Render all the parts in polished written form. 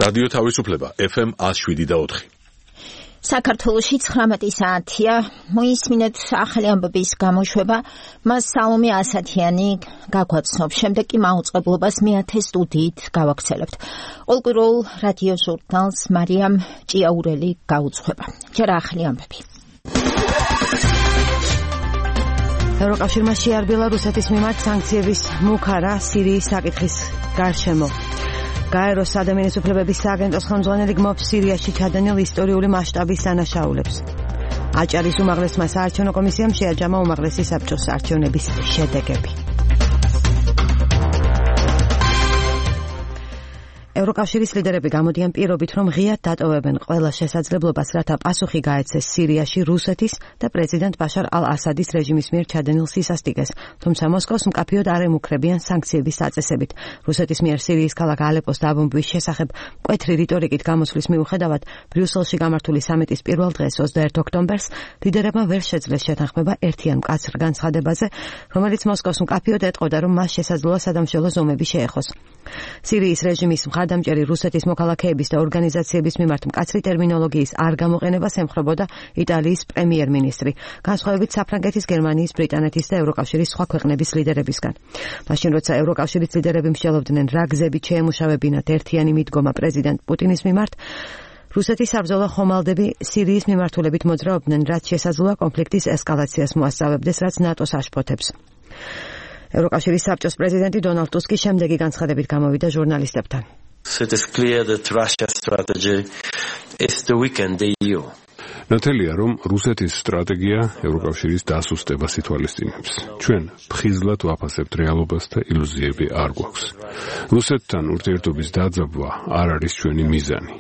რადიო თავისუფლება FM 107.4. საქართველოში 19 საათია, მოისმინეთ ახალი ამბების გამოშვება, მას სალომე ასათიანი გაგვაცნობს, შემდეგ კი მაუწყებლობას მეათე სტუდიით გავაქცელებთ. ყოველკვირეულ რადიო ჟურნალს მარიამ ჭიაურელი გაუძღვება. ჯერ ახალი ამბები. ევროკავშირმა შეარბილა რუსეთის მიმართ სანქციების მუქარა სირიის საკითხის გარშემო. გაეროს ადამიანის უფლებების სააგენტოს ხელმძღვანელი გმობს სირიაში ჩადენილ ისტორიული მასშტაბის დანაშაულებს. აჭარის უმაღლესმა საარჩევნო კომისიამ შეაჯამა უმაღლესი საბჭოს არჩევნების შედეგები. ევროკავშირის ლიდერები გამოდიან პირობით, რომ ღიად დატოვებენ ყველა შესაძლებლობას, რათა პასუხი გაეცეს სირიაში რუსეთის და პრეზიდენტ ბაშარ ალ-ასადის რეჟიმის მიერ ჩადენილ სისასტიკეს, თუმცა მოსკოვს მკაფიოდ არ ემუქრებიან სანქციების წაწესებით. რუსეთის მიერ სირიის ქალაქ ალეპოს დაბომბვის შესახებ მკვეთრი რიტორიკით გამოსვლის მიუხედავად, ბრიუსელში გამართული სამიტის პირველ დღეს 21 ოქტომბერს ლიდერებმა ვერ შეძლეს შეთანხმება ერთიან მკაცრ განცხადებაზე, რომელიც მოსკოვს მკაფიოდ ეტყოდა, რომ მას შესაძლოა სადამშველო ზომები შეეხოს. სირიის რეჟიმის მხარდამჭერი რუსეთის მოქალაქეების და ორგანიზაციების მიმართ მკაცრი ტერმინოლოგიის არ გამოყენებას ემხრობოდა იტალიის პრემიერ-მინისტრი, განსხვავებით საფრანგეთის, გერმანიის, ბრიტანეთის და ევროკავშირის სხვა ქვეყნების ლიდერებისგან. მაშინ, როცა ევროკავშირის ლიდერები მსჯელობდნენ, რა გზებით შეემუშავებინათ ერთიანი მიდგომა პრეზიდენტ პუტინის მიმართ, რუსეთის საბრძოლო ხომალდები სირიის მიმართულებით მოძრაობდნენ, რაც შესაძლოა კონფლიქტის ესკალაციას მოასწავებდეს, რაც ნატოს აშფოთებს. ევროკავშირის საბჭოს პრეზიდენტი დონალდ ტუსკი შემდეგი განცხადებით გამოვიდა ჟურნალისტებთან. It is clear that Russia's strategy is to weaken the EU. ნათელია, რომ რუსეთის სტრატეგია ევროკავშირის დასუსტებას ითვალისწინებს. ჩვენ ფხიზლად ვაფასებთ რეალობას და ილუზიები არ გვაქვს. რუსეთთან ურთიერთობის დაძაბვა არ არის ჩვენი მიზანი.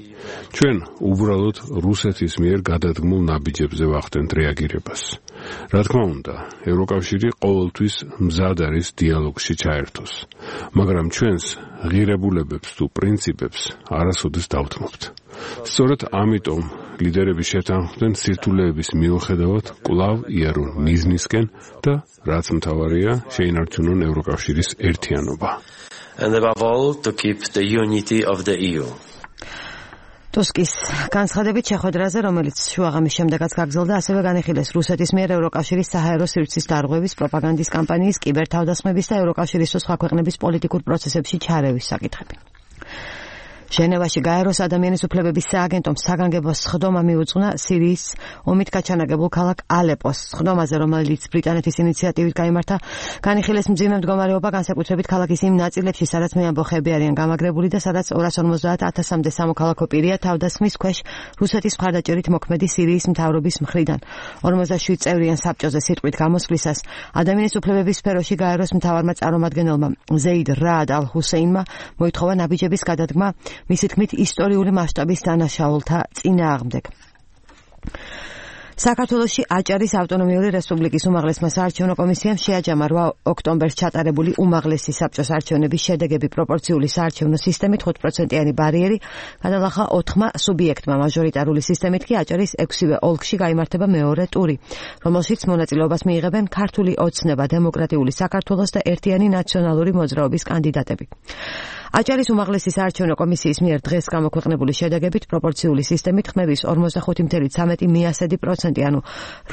ჩვენ უბრალოდ რუსეთის მიერ გადადგმულ ნაბიჯებზე ვახდენთ რეაგირებას. რა თქმა უნდა, ევროკავშირი ყოველთვის მზად არის დიალოგში ჩაერთოს, მაგრამ ჩვენს ღირებულებებს თუ პრინციპებს არასოდეს დავთმობთ. სწორედ ამიტომ ლიდერები შეთანხმდნენ სირთულეების მიუხედავად კვლავ იარონ მიზნისკენ და რაც მთავარია, შეინარჩუნონ ევროკავშირის ერთიანობა. And above all, to keep the unity of the EU. ტუსკის განცხადებით შეხვედრაზე, რომელიც შუაღამის შემდეგაც გაგრძელდა, ასევე განიხილეს რუსეთის მიერ ევროკავშირის საჰაერო სივრცის დარღვევის, პროპაგანდის კამპანიის, კიბერთავდასხმების და ევროკავშირის სხვა ქვეყნების პოლიტიკურ პროცესებში ჩარევის საკითხები. ჟენევაში გაეროს ადამიანის უფლებების სააგენტომ საგანგებო სხდომა მიუძღვნა სირიის ომით გაჩანაგებულ ქალაქ ალეპოს. სხდომაზე, რომელიც ბრიტანეთის ინიციატივით გაიმართა, განიხილეს მძიმე მდგომარეობა, განსაკუთრებით ქალაქის იმ ნაწილებში, სადაც მეამბოხეები არიან გამაგრებული და სადაც 250,000-მდე სამოქალაქო პირია თავდასხმის ქვეშ რუსეთის მხარდაჭერით მოქმედი სირიის მთავრობის მხრიდან. 47 წევრიან საბჭოზე სიტყვით გამოსვლისას ადამიანის უფლებების სფეროში გაეროს მთავარმა წარმომადგენელმა ზეიდ რაად ალ-ჰუსეინმა მოითხოვა ნაბიჯების გადადგმა მისი თქმით ისტორიული მასშტაბის დანაშაულთა წინააღმდეგ. საქართველოში აჭარის ავტონომიური რესპუბლიკის უმაღლესმა საარჩევნო კომისიამ შეაჯამა 8 ოქტომბერს ჩატარებული უმაღლესი საბჭოს არჩევნების შედეგები პროპორციული საარჩევნო სისტემით 5%-იანი ბარიერი გადალახა 4 სუბიექტმა. მაჟორიტარული სისტემით კი აჭარის 6-ვე ოლქში გაიმართება მეორე ტური, რომელშიც მონაწილეობას მიიღებენ ქართული ოცნება, დემოკრატიული საქართველოს და ერთიანი ნაციონალური მოძრაობის კანდიდატები. აჭარის უმაღლესი საარჩევნო კომისიის მიერ დღეს გამოქვეყნებული შედეგებით პროპორციული სისტემით ხმების 45.13%, ანუ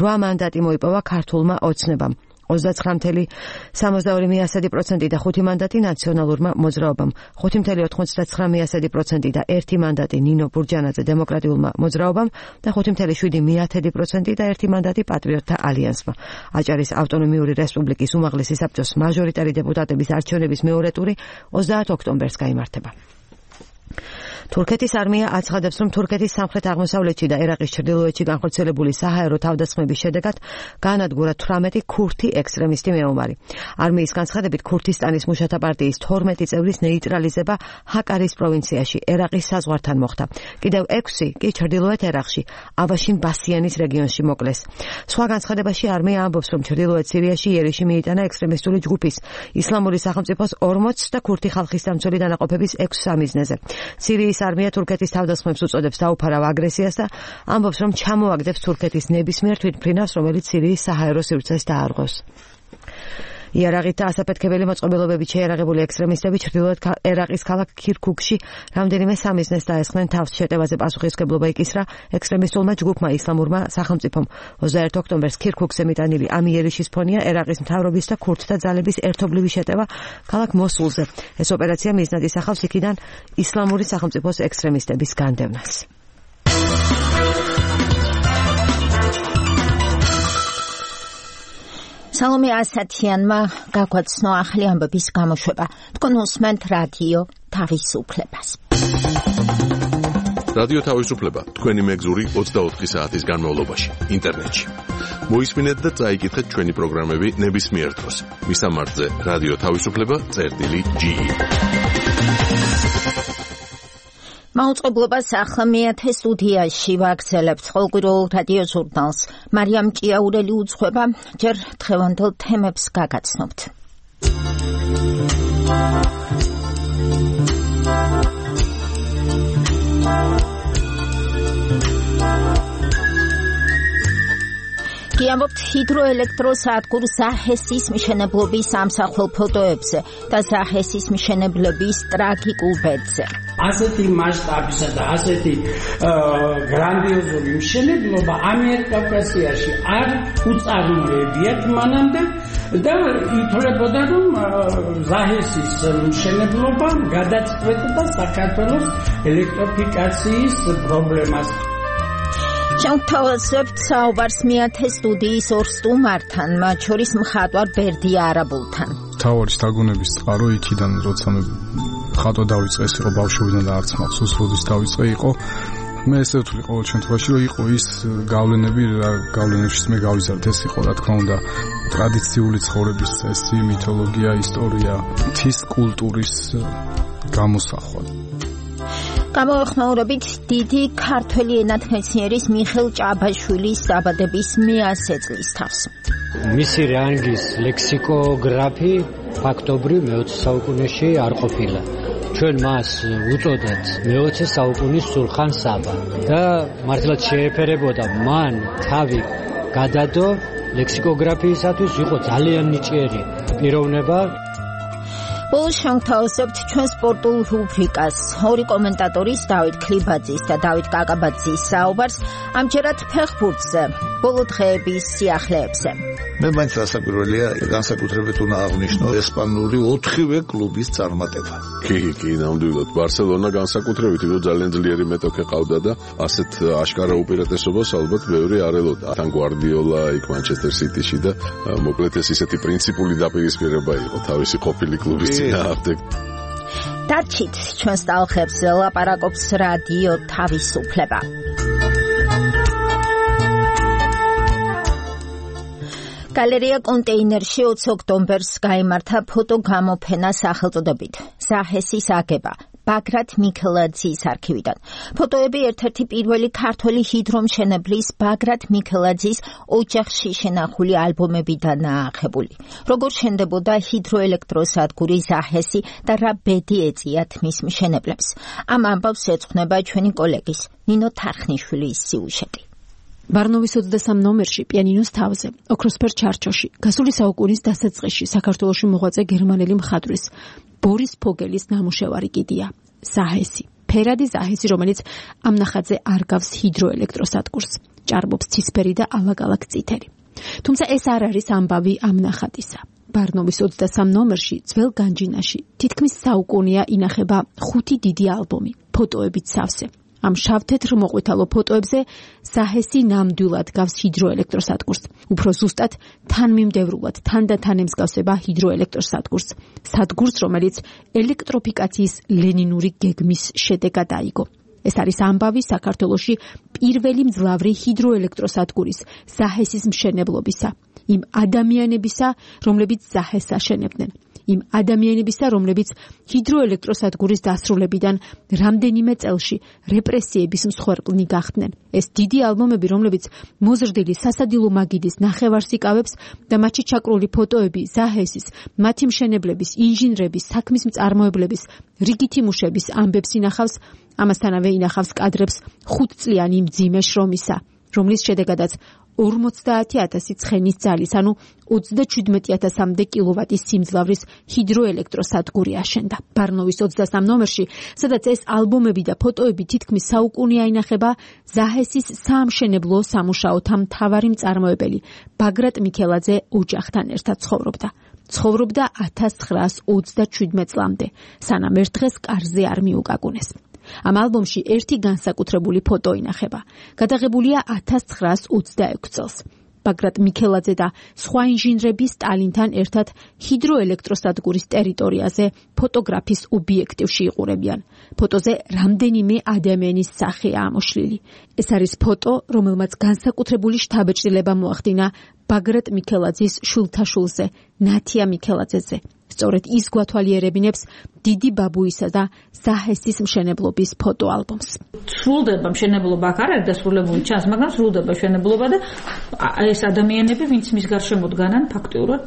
8 მანდატი მოიპოვა ქართულმა ოცნებამ. 29.72% და 5 მანდატი ნაციონალურმა მოძრაობამ, 5.99% და 1 მანდატი ნინო ბურჯანაძე დემოკრატიულმა მოძრაობამ და 5.7% და 1 მანდატი პატრიოტთა ალიანსმა. აჭარის ავტონომიური რესპუბლიკის უმაღლესი საბჭოს მაჟორიტარი დეპუტატების არჩევნების მეორე ტური 30 ოქტომბერს გაიმართება. თურქეთის არმია აცხადებს, რომ თურქეთის სამხრეთ-აღმოსავლეთში და ერაყის ჩრდილოეთში განხორციელებული საჰაერო თავდასხმების შედეგად გაანადგურა 18 ქურთი ექსტრემისტი მეომარი. არმიის განცხადებით, ქურთისტანის მუშათა პარტიის 12 წევრის ნეიტრალიზება ჰაკარის პროვინციაში, ერაყის საზღვართან მოხდა. კიდევ 6 კი ჩრდილოეთ ერაყში, ავაშინ ბასიანის რეგიონში მოკლეს. სხვა განცხადებაში არმია ამბობს, რომ ჩრდილოეთ სირიაში იერიში მიიტანა ექსტრემისტული ჯგუფის ისლამური სახელმწიფოს 40 და ქურთი ხალხის დამცველი დანაყოფების 6 სამიზნეზე. სირიის არმია თურქეთის თავდასხმებს უწოდებს დაუფარავ აგრესიას და ამბობს, რომ ჩამოაგდებს თურქეთის ნებისმიერ თვითმფრინავს, რომელიც სირიის საჰაერო სივრცეს დაარღვევს. იარაღით და ასაფეთქებელი მოწყობილობებით შეიარაღებული ექსტრემისტები ჩრდილოეთ ერაყის ქალაქ ქირქუქში რამდენიმე სამიზნეს დაესხნენ თავს. შეტევაზე პასუხისმგებლობა იკისრა ექსტრემისტულმა ჯგუფმა ისლამურმა სახელმწიფომ. 21 ოქტომბერს ქირქუქზე მიტანილი ამ იერიშის ფონია ერაყის მთავრობის და ქურთთა ძალების ერთობლივი შეტევა ქალაქ მოსულზე. ეს ოპერაცია მიზნად ისახავს იქიდან ისლამური სახელმწიფოს ექსტრემისტების განდევნას. სალომე ასათიანმა გაგვაცნო ახალი ამბების გამოშვება. თქვენ უსმენთ რადიო თავისუფლებას. რადიო თავისუფლება თქვენი მეგზური 24 საათის განმავლობაში ინტერნეტში. მოისმინეთ და წაიკითხეთ ჩვენი პროგრამები ნებისმიერ დროს. მისამართზე რადიო თავისუფლება.ge. მაუწყებლობას ახლა მეათე სტუდიაში ვაგრძელებთ ყოველკვირეულ რადიო ჟურნალს. მარიამ ჭიაურელი უძღვება, ჯერ დღევანდელ თემებს გაგაცნობთ. გიამბობთ ჰიდროელექტროსადგურ ზაჰესის მშენებლობის ამსახველ ფოტოებზე და ზაჰესის მშენებლების ტრაგიკულ ბედზე. ასეთი მასშტაბისა და ასეთი გრანდიოზული მშენებლობა ამიერკავკასიაში არ უწარმოებიათ მანამდე და ითვლებოდა, რომ ზაჰესის მშენებლობა გადაწყვეტდა საქართველოს ელექტროფიკაციის პრობლემას. შევთავაზებთ საუბარს მეათე სტუდიის ორ სტუმართან, მათ შორის მხატვარ ბერდია არაბულთან. მთავარი შთაგონების წყარო იქიდან, როცა მე ხატვა დავიწყე, ეს იყო ბავშვობიდან და არც მახსოვს როდის დავიწყე, იყო მე ესე ვთვლი ყოველ შემთხვევაში, რომ იყო ის გავლენები, რა გავლენებშიც მე გავიზარდე, ეს იყო რა თქმა უნდა ტრადიციული ცხოვრების წესი, მითოლოგია, ისტორია, მთის კულტურის გამოსახვა. გამოვეხმაურებით დიდი ქართველი ენათმეცნიერის მიხეილ ჭაბაშვილის დაბადების 100 წლის თავს. მისი რანგის ლექსიკოგრაფი ფაქტობრივ მე-20 საუკუნეში არ ყოფილა. ჩვენ მას უწოდეთ მე-20 საუკუნის სულხან საბა და მართლაც შეეფერებოდა მან თავი გადადო ლექსიკოგრაფიისათვის, იყო ძალიან ნიჭიერი პიროვნება. ბოლოს შევთავაზებთ ჩვენ სპორტულ რუბრიკას. ორი კომენტატორის დავით ქლიბაძის და დავით კაკაბაძის საუბარს ამჯერად ფეხბურთზე, ბოლო დღეების სიახლეებზე. მე მაინც რასაკვირველია, განსაკუთრებით უნდა აღვნიშნო ესპანური 4-ვე კლუბის წარმატება. კი, ნამდვილად. ბარსელონა განსაკუთრებით იყო ძალიან ძლიერი მეტოქე ყავდა და ასეთ აშკარა უპირატესობას ალბათ ბევრი არ ელოდა. თან გვარდიოლა იქ მანჩესტერ სიტიში და მოკლედ ეს ისეთი პრინციპული დაპირისპირება იყო თავისი ყოფილი კლუბის წინააღმდეგ. დარჩით ჩვენს ტალღებზე ლაპარაკობს რადიო თავისუფლება. გალერეა კონტეინერში 20 ოქტომბერს გაიმართა ფოტოგამოფენა სახელწოდებით ზაჰესის აგება ბაგრატ მიქელაძის არქივიდან. ფოტოები ერთ-ერთი პირველი ქართველი ჰიდრომშენებლის ბაგრატ მიქელაძის ოჯახში შენახული ალბომებიდანაა აღებული. როგორ შენდებოდა ჰიდროელექტროსადგური ზაჰესი და რა ბედი ეწიათ მის მშენებლებს. ამ ამბავს ეძღვნება ჩვენი კოლეგის ნინო თარხნიშვილის სიუჟეტი. ბარნოვის 23 ნომერში პიანინოს თავზე, ოქროსფერ ჩარჩოში, გასული საუკუნის დასაწყისში საქართველოში მოღვაწე გერმანელი მხატვრის ბორის ფოგელის ნამუშევარი კიდია ზაჰესი. ფერადი ზაჰესი, რომელიც ამ ნახატზე არ გავს ჰიდროელექტროსადგურს, ჭარბობს ცისფერი და ალაგ-ალაგ წითელი. თუმცა ეს არ არის ამბავი ამ ნახატისა. ბარნოვის 23 ნომერში ძველ განჯინაში თითქმის საუკუნეა ინახება 5 დიდი ალბომი, ფოტოებით სავსე. ამ შავ-თეთრ მოყვითალო ფოტოებზე ზაჰესი ნამდვილად გავს ჰიდროელექტროსადგურს. უფრო ზუსტად თანმიმდევრულად თანდათან ემსგავსება ჰიდროელექტროსადგურს. სადგურს, რომელიც ელექტროფიკაციის ლენინური გეგმის შედეგად აიგო. ეს არის ამბავი საქართველოში პირველი მძლავრი ჰიდროელექტროსადგურის ზაჰესის მშენებლობისა. იმ ადამიანებისა, რომლებიც ზაჰესს აშენებდნენ. იმ ადამიანებისა, რომლებიც ჰიდროელექტროსადგურის დასრულებიდან რამდენიმე წელში რეპრესიების მსხვერპლნი გახდნენ. ეს დიდი ალბომები, რომლებიც მოზრდილი სასადილო მაგიდის ნახევარს იკავებს და მათში ჩაკრული ფოტოები ზაჰესის, მათი მშენებლების, ინჟინრების, საქმის მწარმოებლების, რიგითი მუშების ამბებს ინახავს, ამასთანავე ინახავს კადრებს 5 წლიანი მძიმე შრომისა, რომლის შედეგადაც 50,000 ცხენის ძალის, ანუ 37,000-მდე კილოვატის სიმძლავრის ჰიდროელექტროსადგური აშენდა. ბარნოვის 23 ნომერში, სადაც ეს ალბომები და ფოტოები თითქმის საუკუნეა ინახება, ზაჰესის საამშენებლო სამუშაოთა მთავარი მწარმოებელი ბაგრატ მიქელაძე ოჯახთან ერთად ცხოვრობდა. ცხოვრობდა 1927 წლამდე, სანამ ერთ დღეს კარზე არ მიუკაკუნეს. ამ ალბომში ერთი განსაკუთრებული ფოტო ინახება. გადაღებულია 1926 წელს. ბაგრატ მიქელაძე და სხვა ინჟინრები სტალინთან ერთად ჰიდროელექტროსადგურის ტერიტორიაზე ფოტოგრაფის ობიექტივში იყურებიან. ფოტოზე რამდენიმე ადამიანის სახეა ამოშლილი. ეს არის ფოტო, რომელმაც განსაკუთრებული შთაბეჭდილება მოახდინა ბაგრატ მიქელაძის შვილთაშვილზე, ნათია მიქელაძეზე. სწორედ ის გვათვალიერებინებს დიდი ბაბუისა და ზაჰესის მშენებლობის ფოტოალბომს. სრულდება მშენებლობა აქ არ არის დასრულებული ჩანს, მაგრამ სრულდება მშენებლობა და ეს ადამიანები, ვინც მის გარშემო დგანან, ფაქტიურად,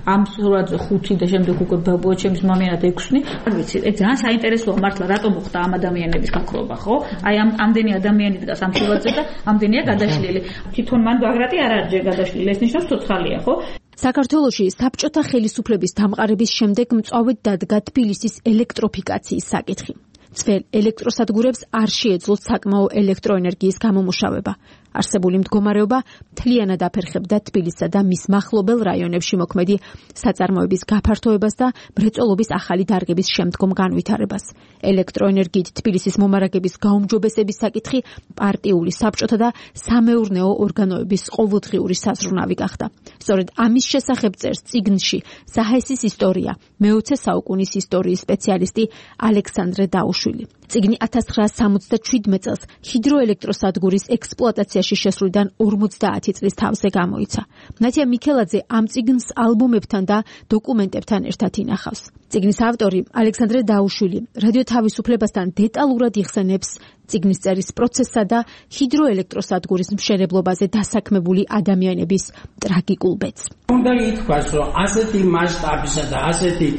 ამ სურათზე 5 და შემდეგ უკვე ბაბუა ჩემის მამიანად 6. არ ვიცი, ეს ძალიან საინტერესოა მართლა, რატომ მოხდა ამ ადამიანების გაქრობა, ხო? აი ამდენი ადამიანი დგას ამ სურათზე და ამდენია გადაშლილი. თვითონ მან ბაგრატი არ არის გადაშლილი, ეს ნიშნავს ცოცხალია, ხო? საქართველოში საბჭოთა ხელისუფლების დამყარების შემდეგ მწვავედ დადგა თბილისის ელექტროფიკაციის საკითხი. ძველ ელექტროსადგურებს არ შეეძლოთ საკმაო ელექტროენერგიის გამომუშავება. არსებული მდგომარეობა მთლიანად აფერხებდა თბილისსა და მის მახლობელ რაიონებში მოქმედი საწარმოების გაფართოებას და მრეწველობის ახალი დარგების შემდგომ განვითარებას. ელექტროენერგიით თბილისის მომარაგების გაუმჯობესების საკითხი პარტიული, საბჭოთა და სამეურნეო ორგანოების ყოველდღიური საზრუნავი გახდა. სწორედ ამის შესახებ წერს წიგნში ზაჰესის ისტორია, მე-20 საუკუნის ისტორიის სპეციალისტი ალექსანდრე დაუშვილი. წიგნი 1977 წელს ჰიდროელექტროსადგურის ექსპლუატაციაში შესვლიდან 50 წლის თავზე გამოიცა. ნათია მიქელაძე ამ წიგნს ალბომებთან და დოკუმენტებთან ერთად ინახავს. წიგნის ავტორი ალექსანდრე დაუშვილი რადიო თავისუფლებასთან დეტალურად იხსენებს წიგნის წერის პროცესსა და ჰიდროელექტროსადგურის მშენებლობაზე დასაქმებული ადამიანების ტრაგიკულ ბედს. უნდა ითქვას, რომ ასეთი მასშტაბისა და ასეთი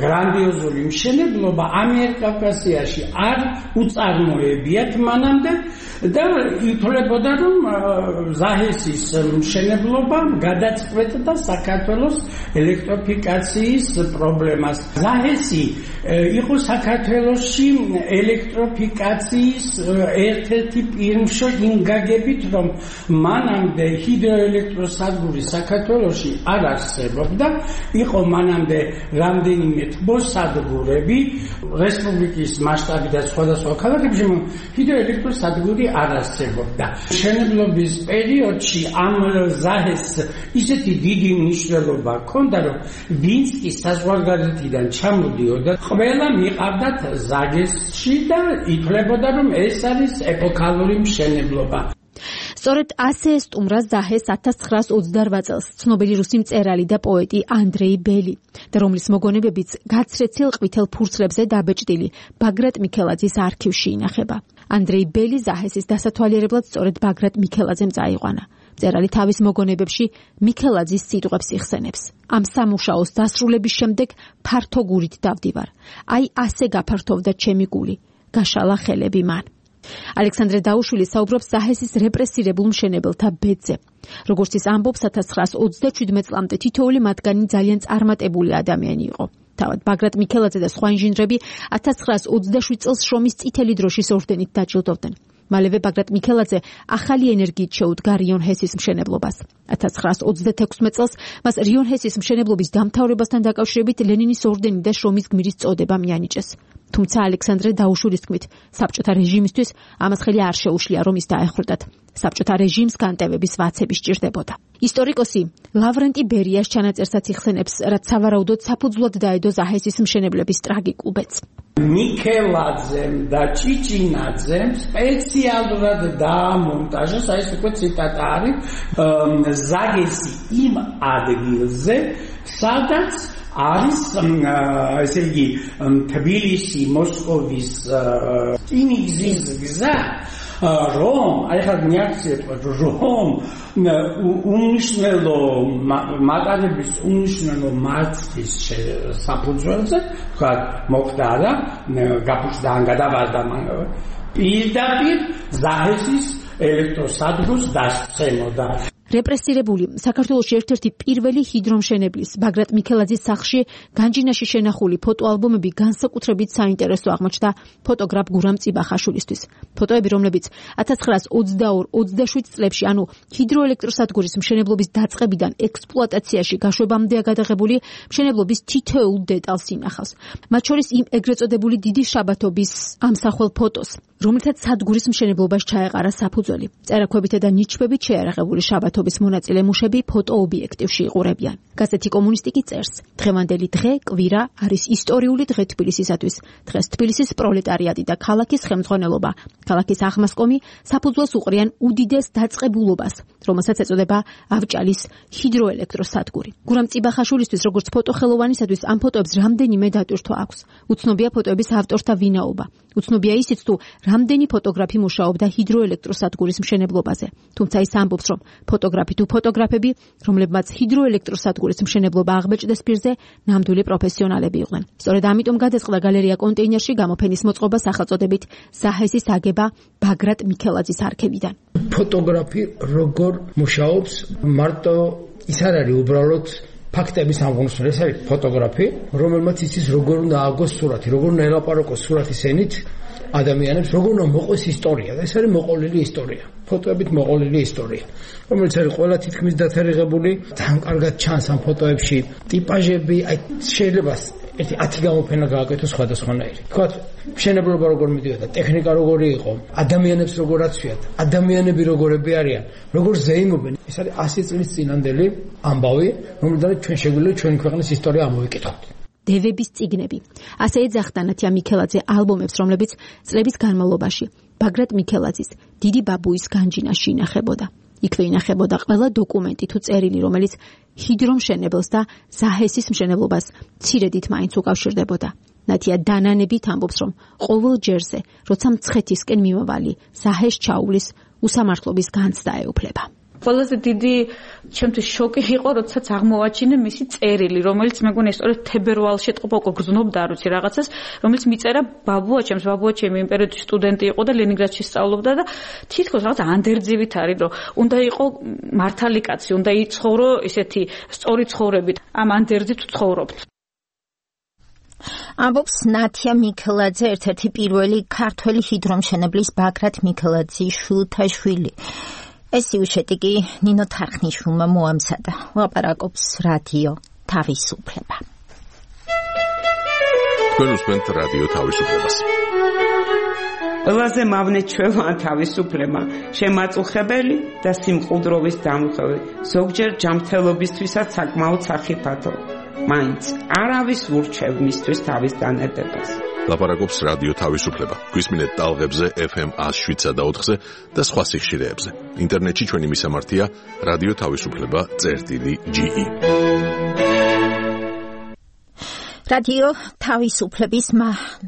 გრანდიოზული მშენებლობა ამიერკავკასიაში არ უწარმოებიათ მანამდე და ითვლებოდა, რომ ზაჰესის მშენებლობა გადაწყვეტდა საქართველოს ელექტროფიკაციის პრობლემას. ზაჰესი იყო საქართველოში ელექტროფიკაციის ერთ-ერთი პირმშო იმ გაგებით, რომ მანამდე ჰიდროელექტროსადგური საქართველოში არ არსებობდა, იყო მანამდე რამდენიმე თბოსადგურები რესპუბლიკის მასშტაბიდან სხვადასხვა ქალაქებში, ჰიდროელექტროსადგური არ არსებობდა. მშენებლობის პერიოდში ამ ზაჰეს ისეთი დიდი მნიშვნელობა ჰქონდა, რომ ვინც კი საზღვარგარეთიდან ჩამოდიოდა, ყველა მიყავდათ ზაჰესში და ითვლებოდა, რომ ეს არის ეპოქალური მშენებლობა. სწორედ ასე სტუმრა ზაჰეს 1928 წელს ცნობილი რუსი მწერალი და პოეტი ანდრეი ბელი და რომლის მოგონებებიც გაცრეცილ ყვითელ ფურცლებზე დაბეჭდილი ბაგრატ მიქელაძის არქივში ინახება. ანდრეი ბელი ზაჰესის დასათვალიერებლად სწორედ ბაგრატ მიქელაძემ წაიყვანა. მწერალი თავის მოგონებებში მიქელაძის სიტყვებს იხსენებს. ამ სამუშაოს დასრულების შემდეგ ფართო გულით დავდივარ. აი ასე გაფართოვდა ჩემი გული. გაშალა ხელები მან. ალექსანდრე დაუშვილი საუბრობს ზაჰესის რეპრესირებულ მშენებელთა ბედზე. როგორც ის ამბობს, 1927 წლამდე თითოეული მათგანი ძალიან წარმატებული ადამიანი იყო. თავად ბაგრატ მიქელაძე და სხვა ინჟინრები 1927 წელს შრომის წითელი დროშის ორდენით დაჯილდოვდნენ. მალევე ბაგრატ მიქელაძე ახალი ენერგიით შეუდგა რიონ ჰესის მშენებლობას. 1936 წელს მას რიონ ჰესის მშენებლობის დამთავრებასთან დაკავშირებით ლენინის ორდენი და შრომის გმირის წოდება მიანიჭეს. თუმცა ალექსანდრე დაუშვილის თქმით, საბჭოთა რეჟიმისთვის ამას ხელი არ შეუშლია, რომ ის დაეხრდათ. საბჭოთა რეჟიმს განტევების ვაცები სჭირდებოდა. ისტორიკოსი ლავრენტი ბერიას ჩანაწერსაც იხსენებს, რაც სავარაუდოდ საფუძვლად დაედო ზაჰესის მშენებლების ტრაგიკულ ბედს. მიქელაძემ და ჭიჭინაძემ სპეციალურად დაამონტაჟეს, აი ეს უკვე ციტატა არის, ზაჰესი იმ ადგილზე, სადაც არის ესე იგი თბილისი მოსკოვის რკინიგზის გზა, რომ აი ხა მიაქციეთ, რომ უმნიშვნელო მატარების უმნიშვნელო მარცხის საფუძველზე თქვა მოხდა და გაფუჭდა ან გადავარდა პირდაპირ ზაჰესის ელექტროსადგურს დასცემოდა. რეპრესირებული საქართველოში ერთ-ერთი პირველი ჰიდრომშენებლის ბაგრატ მიქელაძის სახლში განჯინაში შენახული ფოტოალბომები განსაკუთრებით საინტერესო აღმოჩნდა ფოტოგრაფ გურამ წიბახაშვილისთვის. ფოტოები, რომლებიც 1922-27 წლებში, ანუ ჰიდროელექტროსადგურის მშენებლობის დაწყებიდან ექსპლუატაციაში გაშვებამდეა გადაღებული, მშენებლობის თითოეულ დეტალს ინახავს. მათ შორის იმ ეგრეთ წოდებული დიდი შაბათობის ამსახველ ფოტოს, რომელთაც სადგურის მშენებლობას ჩაეყარა საფუძველი. წერაქვებითა და ნიჩბებით შეარაღებული შაბათობის მონაწილე მუშები ფოტოობიექტივში იყურებიან. გაზეთი კომუნისტი კი წერს: დღევანდელი დღე, კვირა, არის ისტორიული დღე თბილისისათვის. დღეს თბილისის პროლეტარიატი და ქალაქის ხელმძღვანელობა, ქალაქის აღმასკომი საფუძველს უყრიან უდიდეს დაწყებულობას, რომელსაც ეწოდება ავჭალის ჰიდროელექტროსადგური. გურამ წიბახაშვილისთვის, როგორც ფოტოხელოვანისათვის, ამ ფოტოებს რამდენიმე დატვირთვა აქვს. უცნობია ფოტოების ავტორთა ვინაობა. უცნობია ისიც, თუ რამდენი ფოტოგრაფი მუშაობდა ჰიდროელექტროსადგურის მშენებლობაზე. თუმცა ის ამბობს, რომ ფოტოგრაფი თუ ფოტოგრაფები, რომლებმაც ჰიდროელექტროსადგურის მშენებლობა აღბეჭდეს პირზე, ნამდვილი პროფესიონალები იყვნენ. სწორედ ამიტომ გადაწყდა გალერეა კონტეინერში გამოფენის მოწყობა სახელწოდებით „ზაჰესის აგება ბაგრატ მიქელაძის არქივიდან“. ფოტოგრაფი როგორ მუშაობს, მარტო ის არ არის უბრალოდ ფაქტების ამღონსველი, ეს არის ფოტოგრაფი, რომელმაც იცის როგორ უნდა ააგოს სურათი, როგორ უნდა ელაპარაკოს სურათის ენით ადამიანებს, როგორ უნდა მოყოს ისტორია. და ეს არის მოყოლილი ისტორია. ფოტოებით მოყოლილი ისტორია, რომელიც არის ყველა თითქმის დათარიღებული. თან კარგად ჩანს ამ ფოტოებში ტიპაჟები, აი შეიძლება ერთი 10 გამოფენა გააკეთოს სხვადასხვანაირი. თქვათ, მშენებლობა როგორ მიდიოდა, ტექნიკა როგორი იყო, ადამიანებს როგორ აცვიათ, ადამიანები როგორები არიან, როგორ ზეიმობენ. ეს არის 100 წლის წინანდელი ამბავი, რომელთაც ჩვენ შეგვიძლია ჩვენი ქვეყნის ისტორია ამოვიკითხოთ. დევების წიგნები. ასე ეძახდა ნათია მიქელაძე ალბომებს, რომლებიც წლების განმავლობაში ბაგრატ მიქელაძის დიდი ბაბუის განჯინაში ინახებოდა. იქვე ინახებოდა ყველა დოკუმენტი თუ წერილი, რომელიც ჰიდრომშენებელს და ზაჰესის მშენებლობას მცირედით მაინც უკავშირდებოდა. ნათია დანანებით ამბობს, რომ ყოველ ჯერზე, როცა მცხეთისკენ მიმავალი ზაჰეს ჩაუვლის, უსამართლობის განცდა ეუფლება. ყველაზე დიდი ჩემთვის შოკი იყო, როდესაც აღმოვაჩინე მისი წერილი, რომელიც მეგონია სწორედ თებერვალში ეთყობა უკვე გრძნობდა, არ ვიცი რაღაცას, რომელიც მიწერა ბაბუაჩემს, ბაბუაჩემი იმ პერიოდში სტუდენტი იყო და ლენინგრადში სწავლობდა და თითქოს რაღაც ანდერძივით არის, რომ უნდა იყო მართალი კაცი, უნდა იცხოვრო ესეთი სწორი ცხოვრებით. ამ ანდერძით ვცხოვრობთ. ამბობს ნათია მიქელაძე, ერთ-ერთი პირველი ქართველი ჰიდრომშენებლის ბაგრატ მიქელაძის შვილთაშვილი. ეს სიუჟეტი კი ნინო თარხნიშვილმა მოამზადა. ლაპარაკობს რადიო თავისუფლება. თქვენ უსმენთ რადიო თავისუფლებას. ყველაზე მავნე ჩვევა თავისუფლება, შემაწუხებელი და სიმყუდროვის დამხევი, ზოგჯერ ჯანმრთელობისთვისაც საკმაოდ სახიფათო. მაინც არავის ურჩევ მისთვის თავის დანედებას. ლაპარაკობს რადიო თავისუფლება. გვისმინეთ ტალღებზე FM 107.4-ზე და სხვა სიხშირეებზე. ინტერნეტში ჩვენი მისამართია რადიო თავისუფლება.ge. რადიო თავისუფლების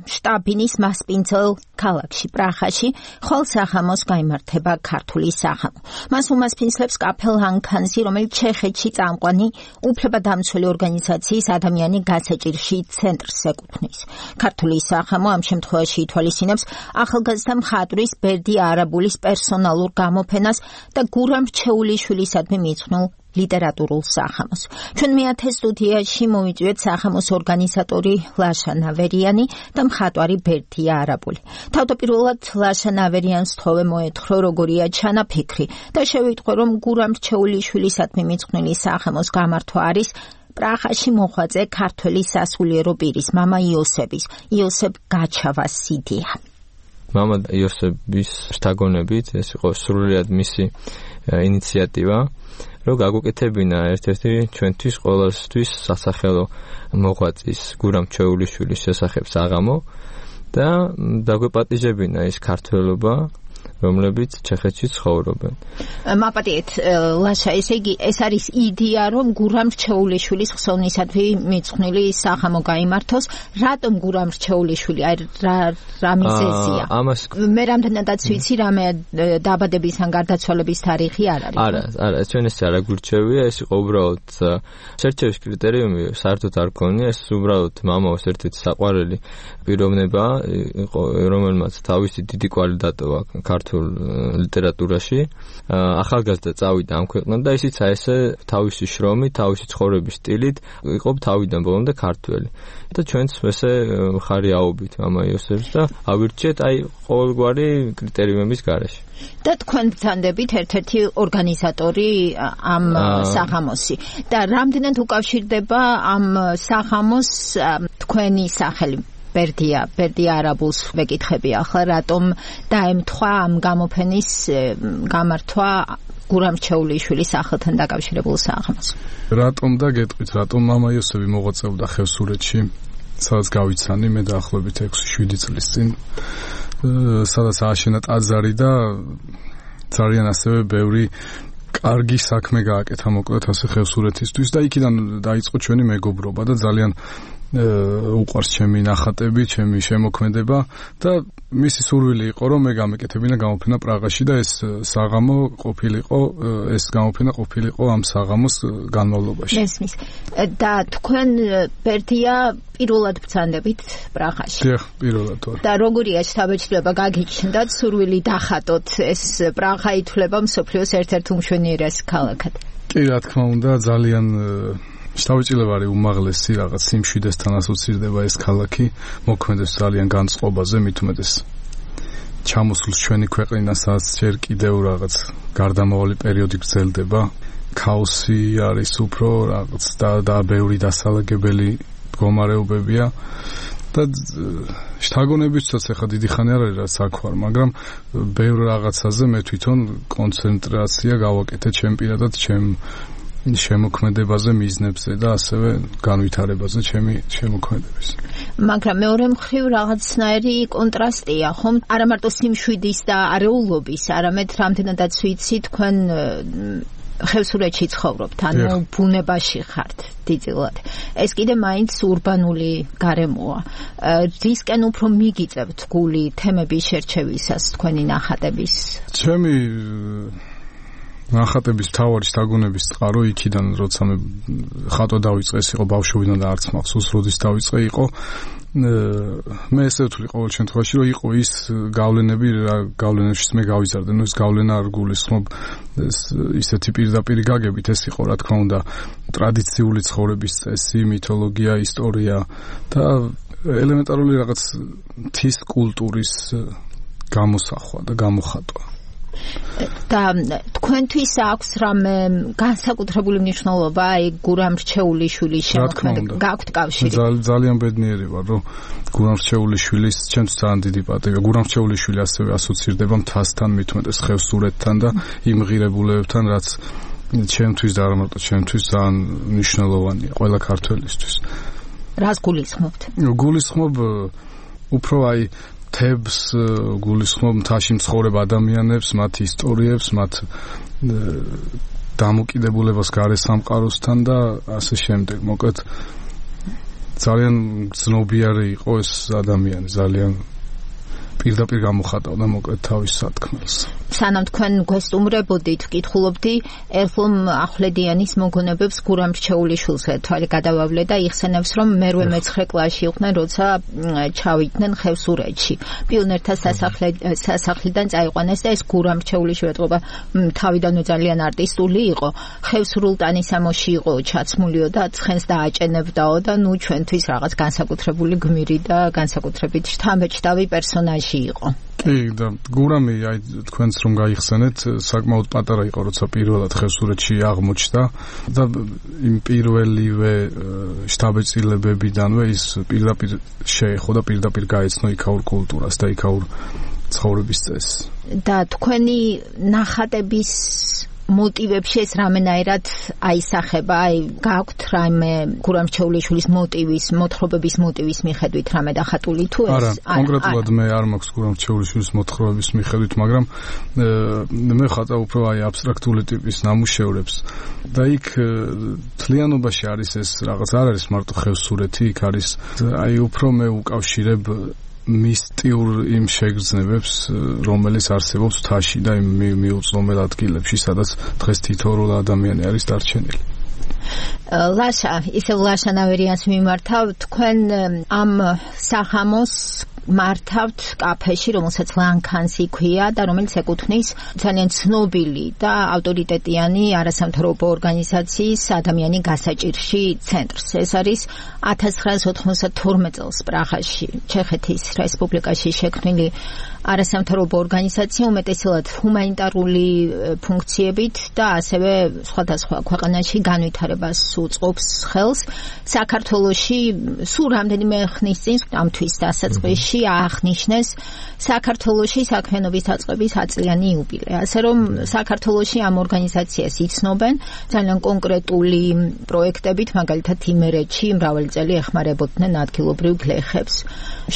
შტაბინის მასპინძელ ქალაქში პრაღაში ხოლსახამოს გაიმართება ქართული სახამო. მას უმასპინძლებს კაფელ ანქანსი, რომელიც ჩეხეთში წამყვანი უფლებადამცველი ორგანიზაციის ადამიანი გასაჭირში ცენტრს ეკუთვნის. ქართული სახამო ამ შემთხვევაში ითვალისწინებს ახალგაზრდა მხატვრის ბერდი არაბულის პერსონალურ გამოფენას და გურამ რჩეულიშვილისადმი მიძღვნილ ლიტერატურულ სახამოს. ჩვენ მეათე სტუდიაში მოვიწვიეთ სახამოს ორგანიზატორი ლაშა ნავერიანი და მხატვარი ბერდია არაბული. თავდაპირველად ლაშა ნავერიანს თხოვე მოეთხოვა როგორია ჩანაფიქრი და შევიტყვე, რომ გურამ რჩეულიშვილისადმი მიძღვნილი სახამოს გამართვა არის პრაღაში მოხვედრე ქართველი სასულიერო პირის მამა იოსებ გაჩავას იდეა. მამა იოსების შთაგონებით ეს იყო სრულიად მისი ინიციატივა, რომ გაგუკეთებინა ერთ-ერთი ჩვენთვის ყოველთვის სასახელო მოღვაწის გურამ რჩეულიშვილის შესახებ საღამო და დაგვეპატიჟებინა ის ქართველობა, რომლებიც ჩეხეთში ცხოვრობენ. მაპატიეთ ლაშა, ესე იგი ეს არის იდეა, რომ გურამ რჩეულიშვილის ხსოვნისადმი მიძღვნილი სახამო გაიმართოს. რატომ გურამ რჩეულიშვილი? აი რა მიზეზია? მე რამდენადაც ვიცი, რამე დაბადების ან გარდაცვალების თარიღი არ არის. არა, ჩვენ ეს არ გვირჩევია, ეს იყო უბრალოდ შერჩევის კრიტერიუმი საერთოდ არ გქონია, ეს უბრალოდ მამაოს ერთ-ერთი საყვარელი პიროვნება იყო, რომელმაც თავისი დიდი კვალი დატოვა ქართულ ქართულ ლიტერატურაში. ახალგაზრდა წავიდა ამ ქვეყნად და ისიც ესე თავისი შრომით, თავისი ცხოვრების სტილით იყო თავიდან ბოლომდე ქართველი. და ჩვენც ესე ხარი აობით მამა იოსებს და ავირჩიეთ აი ყოველგვარი კრიტერიუმების გარეშე. და თქვენ ბრძანდებით ერთ-ერთი ორგანიზატორი ამ საღამოსი და რამდენად უკავშირდება ამ საღამოს თქვენი სახელი ბერდია არაბულს ვეკითხები ახლა რატომ დაემთხვა ამ გამოფენის გამართვა გურამ რჩეულიშვილის სახელთან დაკავშირებულ საღამოს. რატომ და გეტყვით რატომ მამა იოსები მოღვაწეობდა ხევსურეთში სადაც გავიცანი მე დაახლოებით 6-7 წლის წინ სადაც ააშენა ტაძარი და ძალიან ასევე ბევრი კარგი საქმე გააკეთა მოკლედ ასე ხევსურეთისთვის და იქიდან დაიწყო ჩვენი მეგობრობა და ძალიან უყვარს ჩემი ნახატები, ჩემი შემოქმედება და მისი სურვილი იყო რომ მე გამეკეთებინა გამოფენა პრაღაში და ეს საღამო ყოფილიყო ამ საღამოს განმავლობაში. მესმის. და თქვენ ბერდია პირველად ბრძანდებით პრაღაში. დიახ, პირველად ვარ. და როგორია შთაბეჭდილება გაგიჩნდათ სურვილი დახატოთ ეს პრაღა ითვლება მსოფლიოს ერთ-ერთ უმშვენიერეს ქალაქად. კი, რა თქმა უნდა, ძალიან შთაბეჭდილება არის უმაღლესი რაღაც სიმშვიდესთან ასოცირდება ეს ქალაქი მოქმედებს ძალიან განწყობაზე მით უმეტეს ჩამოსულ ჩვენი ქვეყნიდან სადაც ჯერ კიდევ რაღაც გარდამავალი პერიოდი გრძელდება ქაოსი არის უფრო რაღაც და ბევრი დასალაგებელი მდგომარეობებია და შთაგონებისთვის ახლა დიდი ხანი არ არის რა საქვარ მაგრამ ბევრ რაღაცაზე მე თვითონ კონცენტრაცია გავაკეთე ჩემ პირადად ჩემ შემოქმედებაზე მიზნებზე და ასევე განვითარებაზე ჩემი შემოქმედების. მაგრამ მეორე მხრივ რაღაცნაირი კონტრასტია, ხომ? არა მარტო სიმშვიდის და არეულობის, არამედ რამდენადაც ვიცი თქვენ ხევსურეთში ცხოვრობთ, ანუ ბუნებაში ხართ დიდწილად. ეს კიდე მაინც урბანული გარემოა. რისკენ უფრო მიგიწევთ გული თემების შერჩევისას თქვენი ნახატების? ჩემი ნახატების მთავარი შთაგონების წყარო იქიდან როცა მე ხატვა დავიწყე ეს იყო ბავშვობიდან და არც მახსოვს როდის დავიწყე იყო მე ესე ვთვლი ყოველ შემთხვევაში რომ იყო ის გავლენები გავლენებშიც მე გავიზარდე ნუ ეს გავლენა არ გულისხმობ ისეთი პირდაპირ გაგებით ეს იყო რა თქმა უნდა ტრადიციული ცხოვრების წესი მითოლოგია ისტორია და ელემენტარული რაღაც მთის კულტურის გამოსახვა და გამოხატვა და თქვენთვის აქვს რამე განსაკუთრებული მნიშვნელობა აი გურამ რჩეულიშვილის შემოქმედება გაქვთ კავშირი ძალიან ბედნიერი ვარ რომ გურამ რჩეულიშვილის ჩემთვის ძალიან დიდი პატივია გურამ რჩეულიშვილი ასევე ასოცირდება მთასთან მით უმეტეს ხევსურეთთან და იმ ღირებულებებთან რაც ჩემთვის და არა მარტო ჩემთვის ძალიან მნიშვნელოვანია ყველა ქართველისთვის რას გულისხმობთ გულისხმობ უფრო აი თებს გულისხმობ მთაში მცხოვრებ ადამიანებს, მათ ისტორიებს, მათ დამოკიდებულებას გარე სამყაროსთან და ასე შემდეგ. მოკლედ ძალიან ძნობიარი იყო ეს ადამიანი, ძალიან პირდაპირ გამოხატავდა მოკლედ თავის სათქმელს. სანამ თქვენ გვესტუმრებოდით, ვკითხულობდი ერლომ ახვლედიანის მოგონებებს გურამ რჩეულიშვილზე თვალი გადავავლე და იხსენებს რომ მერვე მეცხრე კლასში იყვნენ როცა ჩავიდნენ ხევსურეთში. პიონერთა სასახლიდან წაიყვანეს და ეს გურამ რჩეულიშვილი ეთყობა თავიდანვე ძალიან არტისტული იყო. ხევსურულ ტანისამოში იყო ჩაცმულიო და ცხენს დააჭენებდაო და ნუ ჩვენთვის რაღაც განსაკუთრებული გმირი და განსაკუთრებით შთამბეჭდავი პერსონაჟი იყო. კი და გურამი აი თქვენც რომ გაიხსენეთ საკმაოდ პატარა იყო როცა პირველად ხევსურეთში აღმოჩნდა და იმ პირველივე შთაბეჭდილებებიდანვე ის პირდაპირ შეეხო და პირდაპირ გაეცნო იქაურ კულტურას და იქაურ ცხოვრების წესს და თქვენი ნახატების მოტივებში ეს რამენაირად აისახება, აი გაქვთ რამე გურამ რჩეულიშვილის მოტივის, მოთხრობების მოტივის მიხედვით რამე დახატული თუ ეს? არა, კონკრეტულად მე არ მაქვს გურამ რჩეულიშვილის მოთხრობების მიხედვით, მაგრამ მე ხატავ უფრო აი აბსტრაქტული ტიპის ნამუშევრებს და იქ თლიანობაში არის ეს რაღაც არ არის მარტო ხევსურეთი, იქ არის აი უფრო მე უკავშირებ მისტიურ იმ შეგრძნებებს, რომელიც არსებობს მთაში და იმ მიუწვდომელ ადგილებში, სადაც დღეს თითოეული ადამიანი არის დარჩენილი. ლაშა, ისევ ლაშა ნავერიანს მიმართავ, თქვენ ამ საღამოს მართავთ კაფეში, რომელსაც ლანქანსი ქვია და რომელიც ეკუთვნის ძალიან ცნობილი და ავტორიტეტიანი არასამთავრობო ორგანიზაციის ადამიანი გასაჭირში ცენტრს. ეს არის 1992 წელს პრაღაში, ჩეხეთის რესპუბლიკაში შექმნილი არასამთავრობო ორგანიზაცია, უმეტესად ჰუმანიტარული ფუნქციებით და ასევე სხვადასხვა ქვეყანაში განვითარებას უწყობს ხელს. საქართველოში სულ რამდენიმე ხნის წინ ამ თვის დასაწყისში აღნიშნეს საქართველოში საქმიანობის დაწყების 100 წლიანი იუბილე. ასე რომ საქართველოში ამ ორგანიზაციას იცნობენ ძალიან კონკრეტული პროექტებით, მაგალითად იმერეთში მრავალი წელი ეხმარებოდნენ ადგილობრივ გლეხებს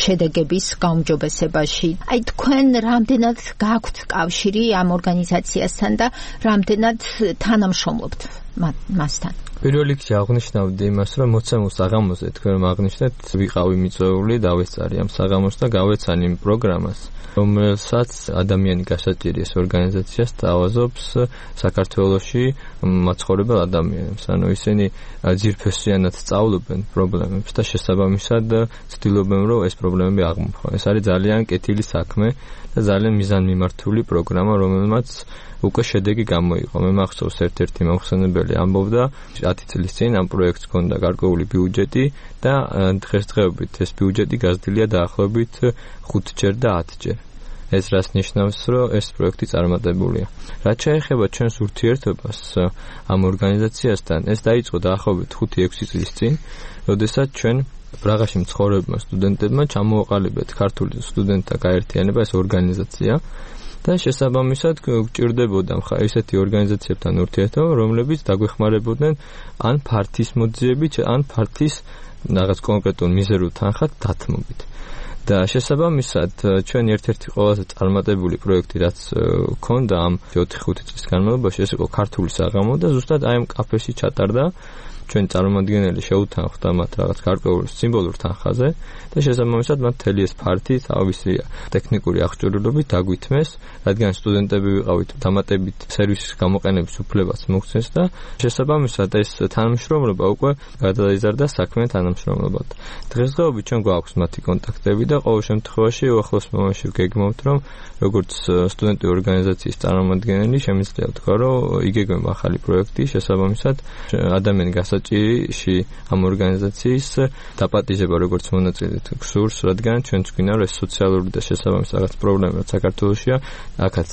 შედეგების გაუმჯობესებაში. აი თქვენ რამდენად გაქვთ კავშირი ამ ორგანიზაციასთან და რამდენად თანამშრომლობთ მასთან? პირველ რიგში აღნიშნავდი იმას, რომ მოცემულ საღამოზე თქვენ რომ აღნიშნეთ, ვიყავი მიწვეული, დავესწარი ამ საღამოს და გავეცანი იმ პროგრამას, რომელსაც ადამიანი გასაჭირი ეს ორგანიზაცია სთავაზობს საქართველოში მაცხოვრებელ ადამიანებს. ანუ ისინი ძირფესიანად სწავლობენ პრობლემებს და შესაბამისად ცდილობენ, რომ ეს პრობლემები აღმოფხვრა. ეს არის ძალიან კეთილი საქმე და ძალიან მიზანმიმართული პროგრამა, რომელმაც უკვე შედეგი გამოიყო. მე მახსოვს ერთ-ერთი მომხსენებელი ამბობდა 10 წლის წინ ამ პროექტს ჰქონდა გარკვეული ბიუჯეტი და დღესდღეობით ეს ბიუჯეტი გაზრდილია დაახლოებით 5-ჯერ და 10-ჯერ. ეს რას ნიშნავს, რომ ეს პროექტი წარმატებულია. რაც შეეხება ჩვენს ურთიერთობას ამ ორგანიზაციასთან, ეს დაიწყო დაახლოებით 5-6 წლის წინ, როდესაც ჩვენ პრაღაში მცხოვრებმა სტუდენტებმა ჩამოაყალიბეთ ქართული სტუდენტთა გაერთიანება, ეს ორგანიზაცია. და შესაბამისად გვჭირდებოდა ესეთი ორგანიზაციებთან ურთიერთობა, რომლებიც დაგვეხმარებოდნენ ან ფართის მოძიებით, ან ფართის რაღაც კონკრეტულ მიზერულ თანხად დათმობით. და შესაბამისად ჩვენ ერთ-ერთი ყველაზე წარმატებული პროექტი, რაც ჰქონდა ამ 4-5 წლის განმავლობაში, ეს იყო ქართული საღამო და ზუსტად აი ამ კაფეში ჩატარდა. ჩვენ წარმომადგენელი შეუთანხმდა მათ რაღაც გარკვეულ სიმბოლურ თანხაზე და შესაბამისად მათ მთელი ეს ფართი თავისი ტექნიკური აღჭურვილობით დაგვითმეს, რადგან სტუდენტები ვიყავით, დამატებით სერვისის გამოყენების უფლებაც მოგცეს და შესაბამისად ეს თანამშრომლობა უკვე გადაიზარდა საქმე თანამშრომლობად. დღესდღეობით ჩვენ გვაქვს მათი კონტაქტები და ყოველ შემთხვევაში უახლოს მომავალში ვგეგმავთ, რომ როგორც სტუდენტური ორგანიზაციის წარმომადგენელი შემიძლია ვთქვა, რომ იგეგმება ახალი პროექტი, შესაბამისად ადამიანი გასაჭირში ამ ორგანიზაციის დაპატიჟება როგორც მონაწილედ გსურს, რადგან ჩვენც გვინდა რომ ეს სოციალური და შესაბამის რაღაც პრობლემა საქართველოშია, აქაც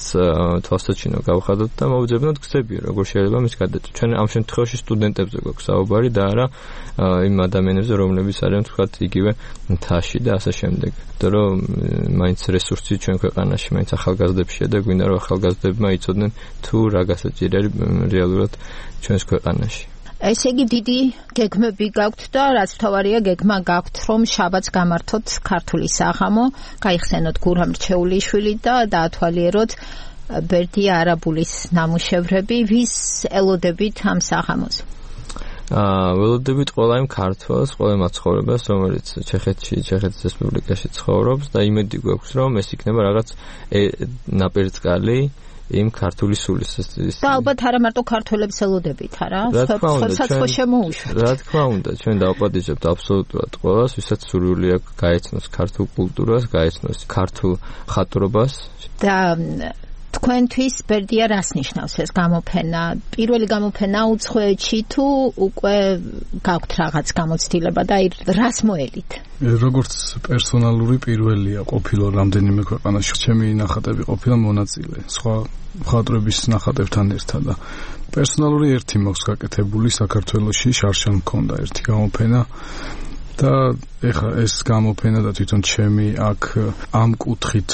თვალსაჩინო გავხადოთ და მოვძებნოთ გზები, როგორ შეიძლება მის გადაჭრა. ჩვენ ამ შემთხვევაში სტუდენტებზე გვაქვს საუბარი და არა იმ ადამიანებზე, რომლებიც არიან თქვათ იგივე მთაში და ასე შემდეგ. იმიტომ რომ მაინც რესურსი ჩვენ ქვეყანაში მაინც ახალგაზრდებშია და გვინდა რომ ახალგაზრდებმა იცოდნენ თუ რა გასაჭირი არის რეალურად ჩვენს ქვეყანაში. ესე იგი დიდი გეგმები გაქვთ და რაც თავარია გეგმა გაქვთ, რომ შაბათს გამართოთ ქართული საღამო, გაიხსენოთ გურამ რჩეულიშვილი და დაათვალიეროთ ბერდია არაბულის ნამუშევრები, ვის ელოდებით ამ საღამოს? ველოდებით ყველა იმ ქართველს, ყველა მაცხოვრებელს, რომელიც ჩეხეთის რესპუბლიკაში ცხოვრობს და იმედი გვაქვს, რომ ეს იქნება რაღაც ნაპირწყალი იმ ქართული სულის. და ალბათ არა მარტო ქართველებს ელოდებით, არა? საცხო შემოუშვათ. რა თქმა უნდა, ჩვენ დავაპატიჟებთ აბსოლუტურად ყველას, ვისაც სურვილი აქვს გაეცნოს ქართულ კულტურას, გაეცნოს ქართულ ხატრობას. და თქვენთვის ბერდია რას ნიშნავს ეს გამოფენა? პირველი გამოფენა უცხოეთში თუ უკვე გაქვთ რაღაც გამოცდილება და რას მოელით? როგორც პერსონალური პირველია ყოფილა რამდენიმე ქვეყანაში. ჩემი ნახატები ყოფილა მონაწილე სხვა მხატვრების ნახატებთან ერთად და პერსონალური ერთი მაქვს გაკეთებული საქართველოში, შარშან მქონდა ერთი გამოფენა. და ეხლა ეს გამოფენა და თვითონ ჩემი აქ ამ კუთხით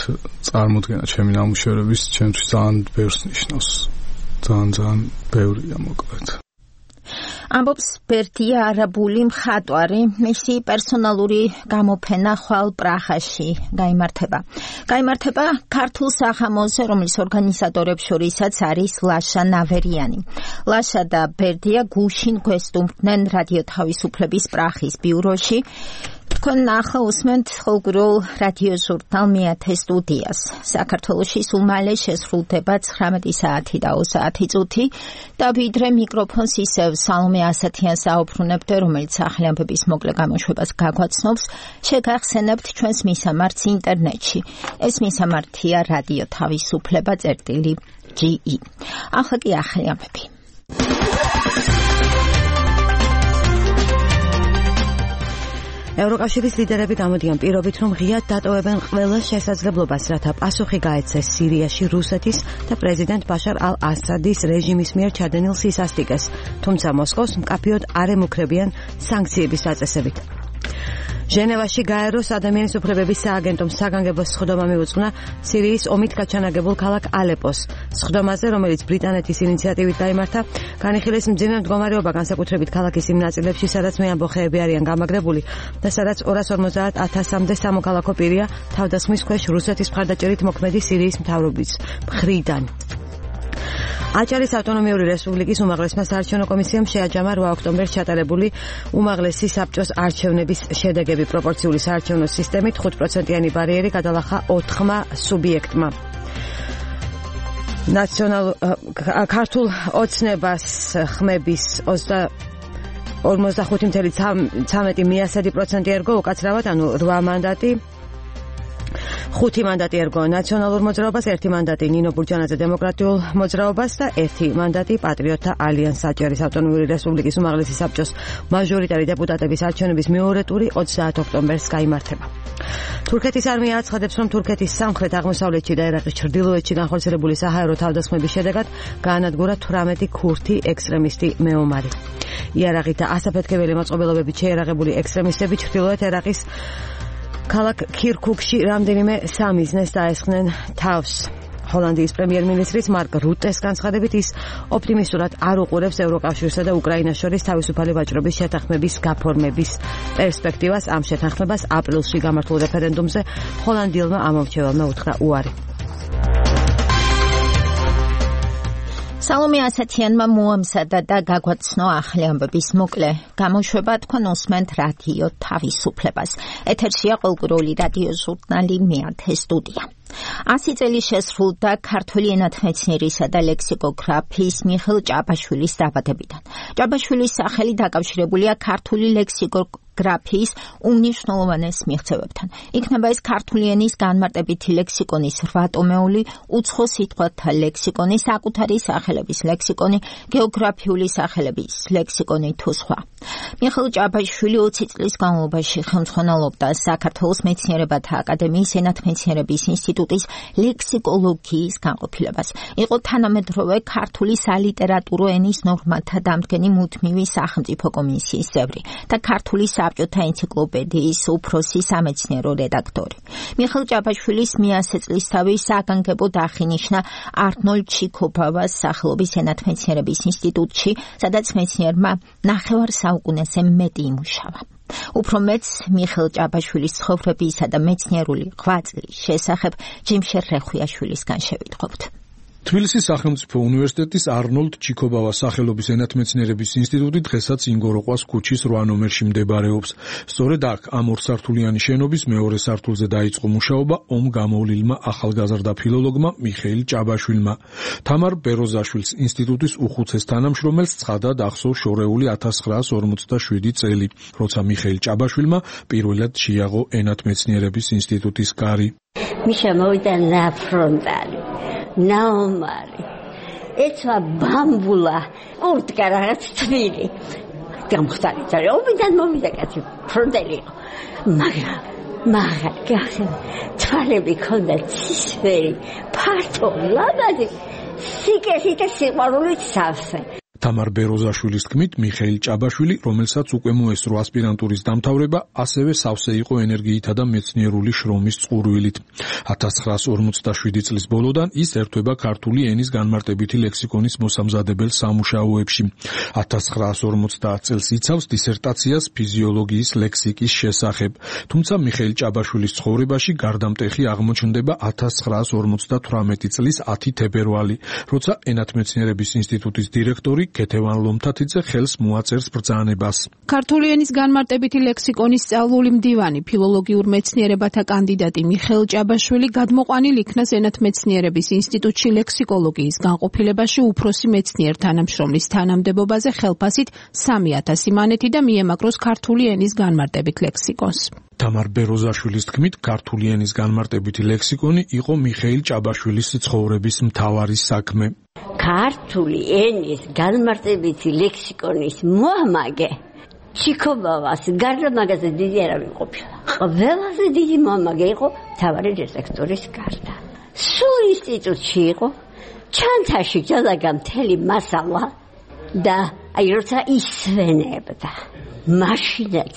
წარმოდგენა ჩემი ნამუშევრების ჩემთვის ძალიან ბევრს ნიშნავს. ძალიან ბევრია მოკლედ. ამბობს ბერდია არაბული მხატვარი, მისი პერსონალური გამოფენა ხვალ პრაღაში გაიმართება ქართულ საღამოზე, რომლის ორგანიზატორებს შორისაც არის ლაშა ნავერიანი. ლაშა და ბერდია გუშინ გვესტუმრდნენ რადიო თავისუფლების პრაღის ბიუროში. თქვენ ახლა უსმენთ ხოლმეულ რადიო ჟურნალ მეათე სტუდიას. საქართველოში სულ მალე შესრულდება 19 საათი და 20 საათი წუთი და ვიდრე მიკროფონს ისევ სალომე ასათიანს აუბრუნებდე, რომელიც ახალი ამბების მოკლე გამოშვებას გაგვაცნობს, შეგახსენებთ ჩვენს მისამართს ინტერნეტში. ეს მისამართია რადიო თავისუფლება.ge. ახლა კი ახალი ამბები. ევროკავშირის ლიდერები გამოდიან პირობით, რომ ღიად დატოვებენ ყველა შესაძლებლობას, რათა პასუხი გაეცეს სირიაში რუსეთის და პრეზიდენტ ბაშარ ალ-ასადის რეჟიმის მიერ ჩადენილ სისასტიკეს, თუმცა მოსკოვს მკაფიოდ არ ემუქრებიან სანქციების დაწესებით. ჟენევაში გაეროს ადამიანის უფლებების სააგენტომ საგანგებო სხდომა მიუძღვნა სირიის ომით გაჩანაგებულ ქალაქ ალეპოს. სხდომაზე, რომელიც ბრიტანეთის ინიციატივით გაიმართა, განიხილეს მძიმე მდგომარეობა განსაკუთრებით ქალაქის იმ ნაწილებში, სადაც მეამბოხეები არიან გამაგრებული და სადაც 250,000-მდე სამოქალაქო პირია თავდასხმის ქვეშ რუსეთის მხარდაჭერით მოქმედი სირიის მთავრობის მხრიდან. აჭარის ავტონომიური რესპუბლიკის უმაღლესმა საარჩევნო კომისიამ შეაჯამა 8 ოქტომბერს ჩატარებული უმაღლესი საბჭოს არჩევნების შედეგები. პროპორციული საარჩევნო სისტემით 5%-იანი ბარიერი გადალახა 4 სუბიექტმა. ქართულ ოცნებას ხმების 45.13 მიასადი% ერგო უკაცრავად, ანუ 8 მანდატი. 5 მანდატი ერგო ნაციონალურ მოძრაობას, 1 მანდატი ნინო ბურჯანაძე დემოკრატიულ მოძრაობას და 1 მანდატი პატრიოტთა ალიანსს. აჭარის ავტონომიური რესპუბლიკის უმაღლესი საბჭოს მაჟორიტარი დეპუტატების არჩევნების მეორე ტური 30 ოქტომბერს გაიმართება. თურქეთის არმია აცხადებს, რომ თურქეთის სამხრეთ-აღმოსავლეთში და ერაყის ჩრდილოეთში განხორციელებული საჰაერო თავდასხმების შედეგად გაანადგურა 18 ქურთი ექსტრემისტი მეომარი. იარაღით და ასაფეთქებელი მოწყობილობებით შეერაღებული ექსტრემისტები ჩრდილოეთ ერაყის ქალაქ ქირქუკში რამდენიმე სამიზნეს დაესხნენ თავს. ჰოლანდიის პრემიერ-მინისტრის მარკ რუტეს განცხადებით, ის ოპტიმისტურად არ უყურებს ევროკავშირსა და უკრაინას შორის თავისუფალი ვაჭრობის შეთანხმების გაფორმების პერსპექტივას. ამ შეთანხმებას აპრილში გამართულ რეფერენდუმზე ჰოლანდიელმა ამომრჩეველმა უთხრა უარი. სალომე ასათიანმა მოამზადა და გაგვაცნო ახალი ამბების მოკლე გამოშვება. თქვენ უსმენთ რადიო თავისუფლებას. ეთერშია ყოველკვირეული რადიო ჟურნალი მეათე სტუდია. 100 წელი შესრულდა ქართული ენათმეცნიერისა და ლექსიკოგრაფიის მიხეილ ჭაბაშვილის დაბადებიდან. ჭაბაშვილის სახელი დაკავშირებულია ქართული ლექსიკოგრაფიის უმნიშვნელოვანეს მიღწევებთან. იქნება ეს ქართული ენის განმარტებითი ლექსიკონის 8 ტომეული, უცხო სიტყვათა ლექსიკონი, საკუთარი სახელების ლექსიკონი, გეოგრაფიული სახელების ლექსიკონი თუ სხვა. მიხეილ ჭაბაშვილი 20 წლის განმავლობაში ხელმძღვანელობდა საქართველოს მეცნიერებათა აკადემიის ენათმეცნიერების ინსტიტუტის ლექსიკოლოგიის განყოფილებას. იყო თანამედროვე ქართული სალიტერატურო ენის ნორმათა დამდგენი მუდმივი სახელმწიფო კომისიის წევრი და ქართული საბჭოთა ენციკლოპედიის უფროსი სამეცნიერო რედაქტორი. მიხეილ ჭაბაშვილის მე-100 წლისთავი საგანგებოდ აღინიშნა არნოლდ ჩიქობავას სახელობის ენათმეცნიერების ინსტიტუტში, სადაც მეცნიერმა ნახევარ საუკუნეზე მეტი იმუშავა. უფრო მეც მიხეილ ჭაბაშვილის ცხოვრებისა და მეცნიერული ღვაწლის შესახებ ჯიმშერ რეხვიაშვილისგან შევიტყობთ. თბილისის სახელმწიფო უნივერსიტეტის არნოლდ ჩიქობავას სახელობის ენათმეცნიერების ინსტიტუტი დღესაც ინგოროყვას ქუჩის 8 ნომერში მდებარეობს. სწორედ აქ ამ ორსართულიანი შენობის მეორე სართულზე დაიწყო მუშაობა ომ გამოვლილმა ახალგაზრდა ფილოლოგმა მიხეილ ჭაბაშვილმა. თამარ ბეროზაშვილის ინსტიტუტის უხუცეს თანამშრომელს ცხადად ახსოვს შორეული 1947 წელი, როცა მიხეილ ჭაბაშვილმა პირველად შეიაღო ენათმეცნიერების ინსტიტუტის კარი. მიშა მოვიდა ნაფრონტალი. ნაომარი ეცვა ბამბულა ურტკა რაღაც თბილი გამხდარი ძარი ომიდან მოვიდა კაცი ფრონტელი მაგრამ თვალები ქონდა ცისფერი ფართო ლამაზი სიკეთით და სიყვარულით სავსე. თამარ ბეროზაშვილის თქმით, მიხეილ ჭაბაშვილი, რომელსაც უკვე მოესწრო ასპირანტურის დამთავრება, ასევე სავსე იყო ენერგიითა და მეცნიერული შრომის წყურვილით. 1947 წლის ბოლოდან ის ერთვება ქართული ენის განმარტებითი ლექსიკონის მოსამზადებელ სამუშაოებში. 1950 წელს იცავს დისერტაციას ფიზიოლოგიის ლექსიკის შესახებ. თუმცა მიხეილ ჭაბაშვილის ცხოვრებაში გარდამტეხი აღმოჩნდება 1958 წლის 10 თებერვალი, როცა ენათმეცნიერების ინსტიტუტის დირექტორი ქეთევან ლომთათიძე ხელს მოაწერს ბრძანებას. ქართული ენის განმარტებითი ლექსიკონის სწავლული მდივანი, ფილოლოგიურ მეცნიერებათა კანდიდატი მიხეილ ჭაბაშვილი გადმოყვანილ იქნას ენათმეცნიერების ინსტიტუტში ლექსიკოლოგიის განყოფილებაში უფროსი მეცნიერ თანამშრომლის თანამდებობაზე ხელფასით 3000 მანეთი და მიემაგროს ქართული ენის განმარტებით ლექსიკონს. თამარ ბეროზაშვილის თქმით, ქართული ენის განმარტებითი ლექსიკონი იყო მიხეილ ჭაბაშვილის ცხოვრების მთავარი საქმე. ქართული ენის განმარტებითი ლექსიკონის მოამაგე ჩიქობავას გარდა მაგაზე დიდი არავინ ყოფილა. ყველაზე დიდი მოამაგე იყო მთავარი რედაქტორის გარდა. სულ ინსტიტუტში იყო ჩანთაში ჯალაგა მთელი მასალა და აი როცა ისვენებდა მაშინაც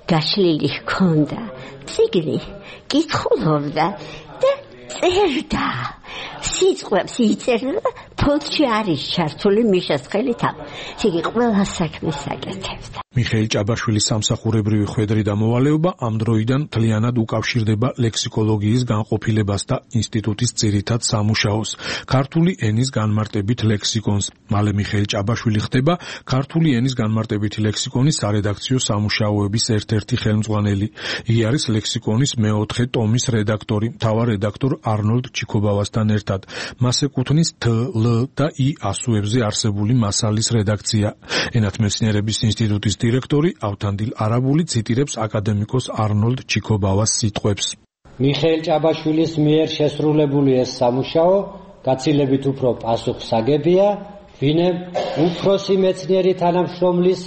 გაშლილი ჰქონდა ციგნი კითხულობდა და წერდა სიტყვებს იწერდა ფონდში არის ჩართული მიშას ხელით იგი ყველა საქმეს აკეთებდა. მიხეილ ჭაბაშვილის სამსახურებრივი ხვედრი და მოვალეობა ამ დროიდან მთლიანად უკავშირდება ლექსიკოლოგიის განყოფილებას და ინსტიტუტის ძირითად სამუშაოს, ქართული ენის განმარტებით ლექსიკონს. მალე მიხეილ ჭაბაშვილი ხდება ქართული ენის განმარტებითი ლექსიკონის სარედაქციო სამუშაოების ერთ-ერთი ხელმძღვანელი. იგი არის ლექსიკონის მეოთხე ტომის რედაქტორი, მთავარ რედაქტორ არნოლდ ჩიქობავასთან ერთად. მას ეკუთვნის თ, ლ და ი ასოებზე არსებული მასალის რედაქცია. ენათმეცნიერების ინსტიტუტის დირექტორი ავთანდილ არაბული ციტირებს აკადემიკოს არნოლდ ჩიქობავას სიტყვებს. მიხეილ ჭაბაშვილის მიერ შესრულებული ეს სამუშაო გაცილებით უფრო პასუხსაგებია, ვინმე უფროსი მეცნიერი თანამშრომლის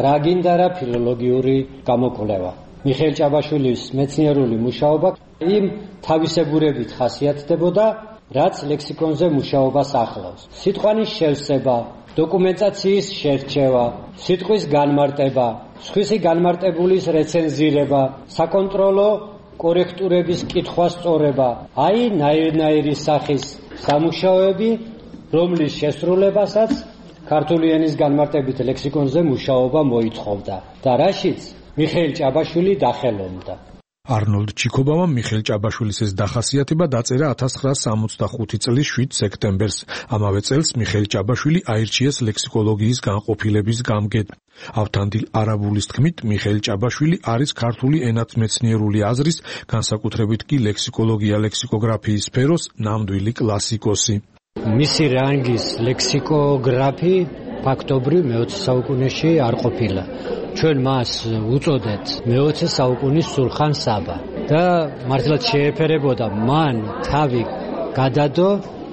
რა გინდა რა ფილოლოგიური გამოკვლევა. მიხეილ ჭაბაშვილის მეცნიერული მუშაობა იმ თავისებურებით ხასიათდებოდა, რაც ლექსიკონზე მუშაობას ახლავს. სიტყვანის შევსება, დოკუმენტაციის შერჩევა, სიტყვის განმარტება, სხვისი განმარტებულის რეცენზირება, საკონტროლო კორექტურების კითხვა სწორება, აი ნაირ-ნაირი სახის სამუშაოები, რომლის შესრულებასაც ქართული ენის განმარტებით ლექსიკონზე მუშაობა მოითხოვდა და რაშიც მიხეილ ჭაბაშვილი დახელობდა. არნოლდ ჩიქობავამ მიხეილ ჭაბაშვილის ეს დახასიათება დაწერა 1965 წლის 7 სექტემბერს. ამავე წელს მიხეილ ჭაბაშვილი აირჩიეს ლექსიკოლოგიის განყოფილების გამგედ. ავთანდილ არაბულის თქმით, მიხეილ ჭაბაშვილი არის ქართული ენათმეცნიერული აზრის, განსაკუთრებით კი ლექსიკოლოგია-ლექსიკოგრაფიის სფეროს ნამდვილი კლასიკოსი. მისი რანგის ლექსიკოგრაფი ფაქტობრივ მე-20 საუკუნეში არ ყოფილა. ჩვენ მას უწოდეთ მე-20 საუკუნის სულხან საბა და მართლაც შეეფერებოდა მან თავი გადადო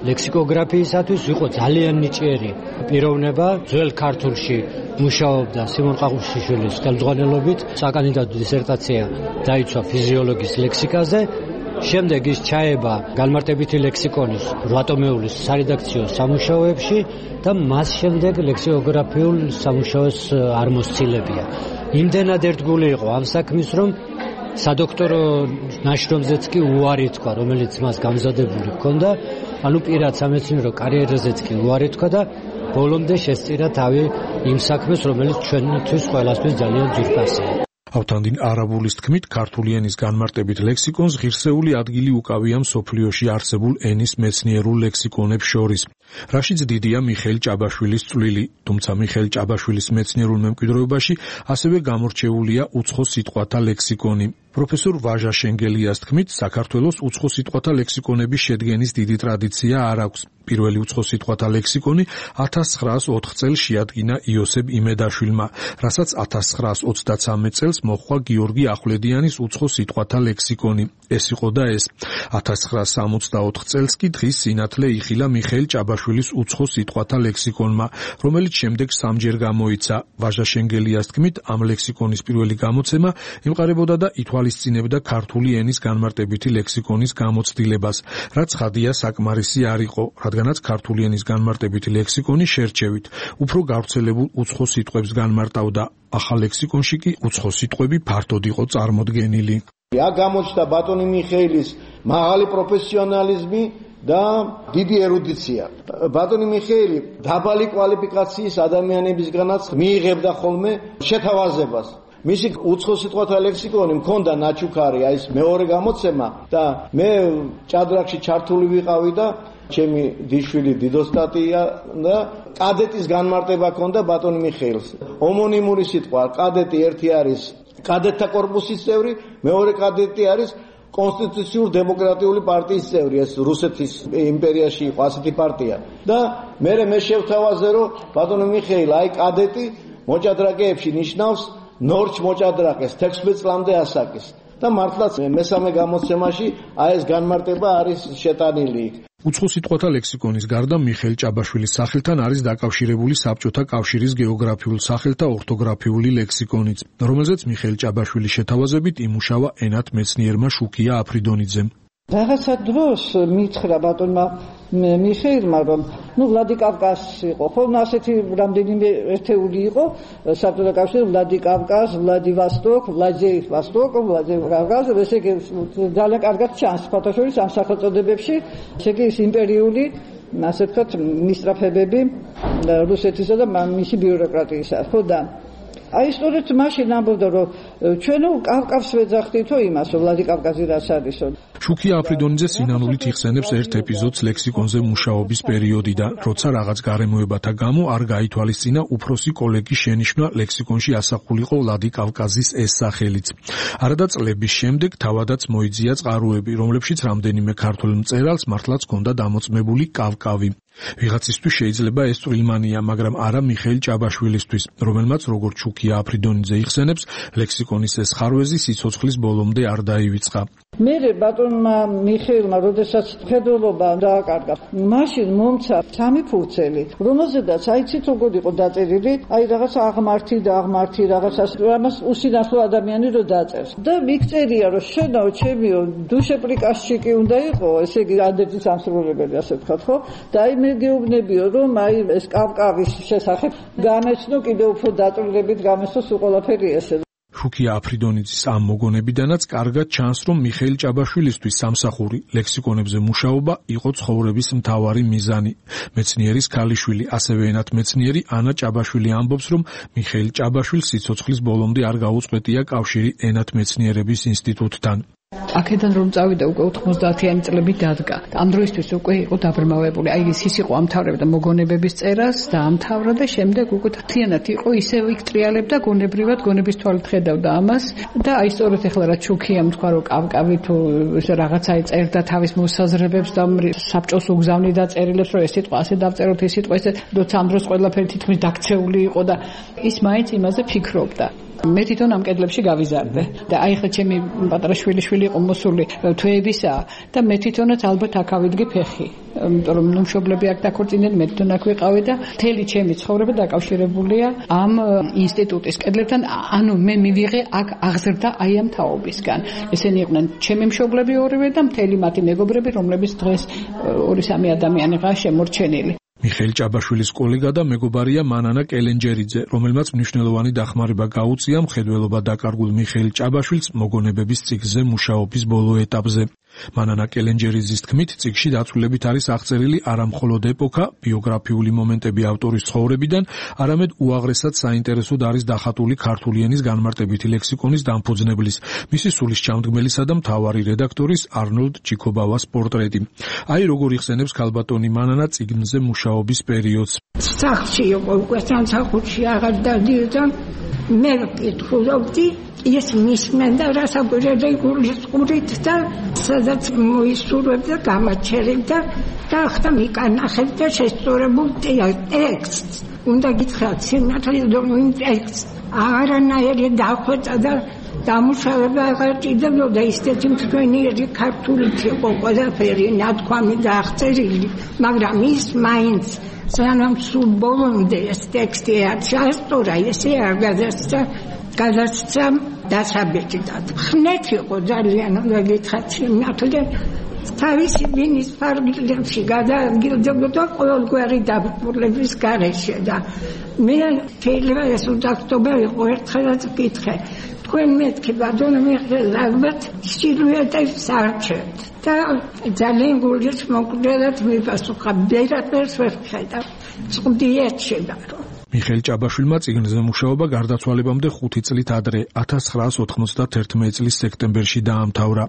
ლექსიკოგრაფიისათვის, იყო ძალიან ნიჭიერი პიროვნება. ძველ ქართულში მუშაობდა სიმონ ყაყუშიშვილის ხელმძღვანელობით, საკანდიდატო დისერტაცია დაიცვა ფიზიოლოგიის ლექსიკაზე. შემდეგ ის ჩაება განმარტებითი ლექსიკონის 8 ტომეულის სარედაქციო სამუშაოებში და მას შემდეგ ლექსიკოგრაფიულ სამუშაოს არ მოსცილებია. იმდენად ერთგული იყო ამ საქმის, რომ სადოქტორო ნაშრომზეც კი უარი თქვა, რომელიც მას გამზადებული ჰქონდა, ანუ პირად სამეცნიერო კარიერაზეც კი უარი თქვა და ბოლომდე შესწირა თავი იმ საქმეს, რომელიც ჩვენთვის ყველასთვის ძალიან ძვირფასია. ავთანდილ არაბულის თქმით, ქართული ენის განმარტებით ლექსიკონს ღირსეული ადგილი უკავია მსოფლიოში არსებულ ენის მეცნიერულ ლექსიკონებს შორის. რაშიც დიდია მიხეილ ჭაბაშვილის წვლილი, თუმცა მიხეილ ჭაბაშვილის მეცნიერულ მემკვიდრეობაში ასევე გამორჩეულია უცხო სიტყვათა ლექსიკონი. პროფესორ ვაჟა შენგელიას თქმით, საქართველოს უცხო სიტყვათა ლექსიკონების შედგენის დიდი ტრადიცია არ აქვს. პირველი უცხო სიტყვათა ლექსიკონი 1904 წელს შეადგინა იოსებ იმედაშვილმა, რასაც 1923 წელს მოჰყვა გიორგი ახვლედიანის უცხო სიტყვათა ლექსიკონი. ეს იყო და ეს. 1964 წელს კი დღის სინათლე იხილა მიხეილ ჭაბაშვილის უცხო სიტყვათა ლექსიკონმა, რომელიც შემდეგ სამჯერ გამოიცა. ვაჟა შენგელიას თქმით, ამ ლექსიკონის პირველი გამოცემა ემყარებოდა და ითვალისწინებდა ქართული ენის განმარტებითი ლექსიკონის გამოცდილებას, რაც ხადია საკმარისი არ იყო, რადგანაც ქართული ენის განმარტებითი ლექსიკონი შერჩევით უფრო გავრცელებულ უცხო სიტყვებს განმარტავდა. ახალ ლექსიკონში კი უცხო სიტყვები ფართოდ იყო წარმოდგენილი. აქ გამოჩნდა ბატონი მიხეილის მაღალი პროფესიონალიზმი და დიდი ერუდიცია. ბატონი მიხეილი დაბალი კვალიფიკაციის ადამიანებისგანაც მიიღებდა ხოლმე შეთავაზებას მისი უცხო სიტყვათა ლექსიკონი მქონდა ნაჩუქარი, აი ეს მეორე გამოცემა და მე ჭადრაკში ჩართული ვიყავი და ჩემი დიშვილი დიდოსტატია და კადეტის განმარტება ჰქონდა ბატონ მიხეილს. ომონიმური სიტყვა, კადეტი ერთი არის კადეტთა კორპუსის წევრი, მეორე კადეტი არის კონსტიტუციურ დემოკრატიული პარტიის წევრი, ეს რუსეთის იმპერიაში იყო ასეთი პარტია. და მე შევთავაზე რომ ბატონო მიხეილ, აი კადეტი მოჭადრაკეებში ნიშნავს ნორჩ მოჭადრაკეს 16 წლამდე ასაკის. და მართლაც მესამე გამოცემაში აი ეს განმარტება არის შეტანილი. უცხო სიტყვათა ლექსიკონის გარდა მიხეილ ჭაბაშვილის სახელთან არის დაკავშირებული საბჭოთა კავშირის გეოგრაფიულ სახელთა ორთოგრაფიული ლექსიკონიც, რომელზეც მიხეილ ჭაბაშვილის შეთავაზებით იმუშავა ენათმეცნიერმა შუქია აფრიდონიძემ. რაღაცა დროს მითხრა ბატონმა მიხეილმა, რომ ვლადიკავკაზი იყო, ხო, ასეთი რამდენიმე ერთეული იყო საბჭოთა კავშირის ვლადიკავკაზ, ვლადივოსტოკ, ვლადიკავკაზ, ესე იგი ძალიან კარგად ჩანს ფათაშორის ამ სახელწოდებებში, ესე იგი ის იმპერიული, ასე ვთქვათ, მისწრაფებები რუსეთისა და მისი ბიუროკრატიისა, ხო და აი სწორედ მაშინ ამბობდა რომ ჩვენ კავკავს ვეძახდითო იმას რომ ვლადიკავკაზი რაც არისო. შუქია აფრიდონიძე სინანულით იხსენებს ერთ ეპიზოდს ლექსიკონზე მუშაობის პერიოდიდან, როცა რაღაც გარემოებათა გამო არ გაითვალისწინა უფროსი კოლეგის შენიშვნა ლექსიკონში ასახულიყო ვლადიკავკაზის ეს სახელიც. არადა წლების შემდეგ თავადაც მოიძია წყაროები, რომლებშიც რამდენიმე ქართველ მწერალს მართლაც ჰქონდა დამოწმებული კავკავი. ვიღაცისთვის შეიძლება ეს წვრილმანია, მაგრამ არა მიხეილ ჭაბაშვილისთვის, რომელმაც როგორც შუქია აფრიდონიძე იხსენებს, ლექსიკონის ეს ხარვეზი სიცოცხლის ბოლომდე არ დაივიწყა. მე ბატონმა მიხეილმა როდესაც ფედროლობა დააკარგა, მაშინ მომცა 3 ფურცელი, რომელზედაც აიცით როგორ იყო დაწერილი, აი რაღაც აღმართი რაღაცას, ამას უსინათლო ადამიანი რო დაწერს. და მიქწერია რომ შენო ჩემიო დუშეპრიკასჩიკი უნდა იყო, ესე იგი ანდერძის სამსრულებელი ასე ვთქვათ, ხო? და აი მე გეუბნებიო რომ აი ეს კავკავის შესახებ გამეცნო კიდევ უფრო დაწვრილებით გამეცნო სულ ყველაფერი ესე. შუქია აფრიდონიძის ამ მოგონებიდანაც კარგად ჩანს, რომ მიხეილ ჭაბაშვილისთვის სამსახური ლექსიკონებზე მუშაობა იყო ცხოვრების მთავარი მიზანი. მეცნიერის ქალიშვილი, ასევე ენათმეცნიერი ანა ჭაბაშვილი ამბობს, რომ მიხეილ ჭაბაშვილს სიცოცხლის ბოლომდე არ გაუწყვეტია კავშირი ენათმეცნიერების ინსტიტუტთან. აქედან რომ წავიდა უკვე 90-იანი წლები დადგა. ამ დროისთვის უკვე იყო დაბრმავებული. აი ის იყო ამთავრებდა მოგონებების წერას და ამთავრა და შემდეგ უკვე თიანად იყო ისევ იქ ტრიალებდა გონებრივად, გონების თვალით ხედავდა ამას და აი სწორედ ახლა რა ჩუქიამ თქვა რომ კავკავი თუ რაღაცა წერდა თავის მოსაზრებებს და საბჭოს უგზავნიდა წერილებს რომ ეს სიტყვა ასე დავწეროთ, ეს სიტყვა ესე, როცა ამ დროს ყველაფერი თითქმის დაქცეული იყო და ის მაინც იმაზე ფიქრობდა. მე თვითონ ამ კედლებში გავიზარდე და აი ხა ჩემი პატარა შვილი იყო მოსული თვეებისა და მე თვითონაც ალბათ აქ ავიდგე ფეხი, იმიტომ რომ მშობლები აქ დაქორწინდნენ, მე თვითონ აქ ვიყავი და მთელი ჩემი ცხოვრება დაკავშირებულია ამ ინსტიტუტის კედლებთან, ანუ მე მივიღე აქ აღზრდა აი ამ თაობისგან. ესენი იყვნენ ჩემი მშობლები ორივე და მთელი მათი მეგობრები, რომლებიც დღეს 2-3 ადამიანიღაა შემორჩენილი. მიხეილ ჭაბაშვილის კოლეგა და მეგობარია მანანა კელენჯერიძე, რომელმაც მნიშვნელოვანი დახმარება გაუწია მხედველობა დაკარგულ მიხეილ ჭაბაშვილს მოგონებების წიგნზე მუშაობის ბოლო ეტაპზე. მანანა კელენჯერიძის თქმით, წიგნში დაცვლილებით არის აღწერილი არა მხოლოდ ეპოქა, ბიოგრაფიული მომენტები ავტორის ცხოვრებიდან, არამედ უაღრესად საინტერესოდ არის დახატული ქართული ენის განმარტებითი ლექსიკონის დამფუძნებლის, მისი სულისჩამდგმელისა და მთავარი რედაქტორის არნოლდ ჩიკობავას პორტრეტი. აი როგორ იხსენებს ქალბატონი მანანა წიგნზე მუშაობის პერიოდს. სახლში იყო უკვე სამსახურში აღარ დადიოდა, მე ვკითხულობდი ის მისმენდა რასაკვირველი გულისყურით და სადაც მოისურვებდა, გამაჩერებდა და ახლა მიკანახებდა შესწორებულ ტექსტს. უნდა გითხრათ, სინათლის დონე ტექსტს არანაირი დახვეწა და დამუშავება აღარ ჭირდებოდა, ისეთი მშვენიერი ქართულით იყო ყველაფერი ნათქვამი და აღწერილი, მაგრამ ის მაინც სანამ სულ ბოლომდე ეს ტექსტი ჩასწორა, ესე არ გადასცა დასაბეჭდად. ხნეთ იყო ძალიან, უნდა გითხრათ, სინათლე თავისი მინის ფარგლებში გადაგილდებოდა ყოველგვარი დაბრუნების გარეშე და მე შეიძლება ეს უდავტობა იყო ერთხელაც ვკითხე. თქვენ მეთქი ბატონო მიხეილ ალბათ სილუეტებს არჩევთ და ძალიან გულით მოკლედ მიპასუხა, ბერად ვერ ვხედავ, წვდიეთ შედარო. მიხეილ ჭაბაშვილმა წიგნზე მუშაობა გარდაცვალებამდე 5 წლით ადრე 1991 წლის სექტემბერში დაამთავრა.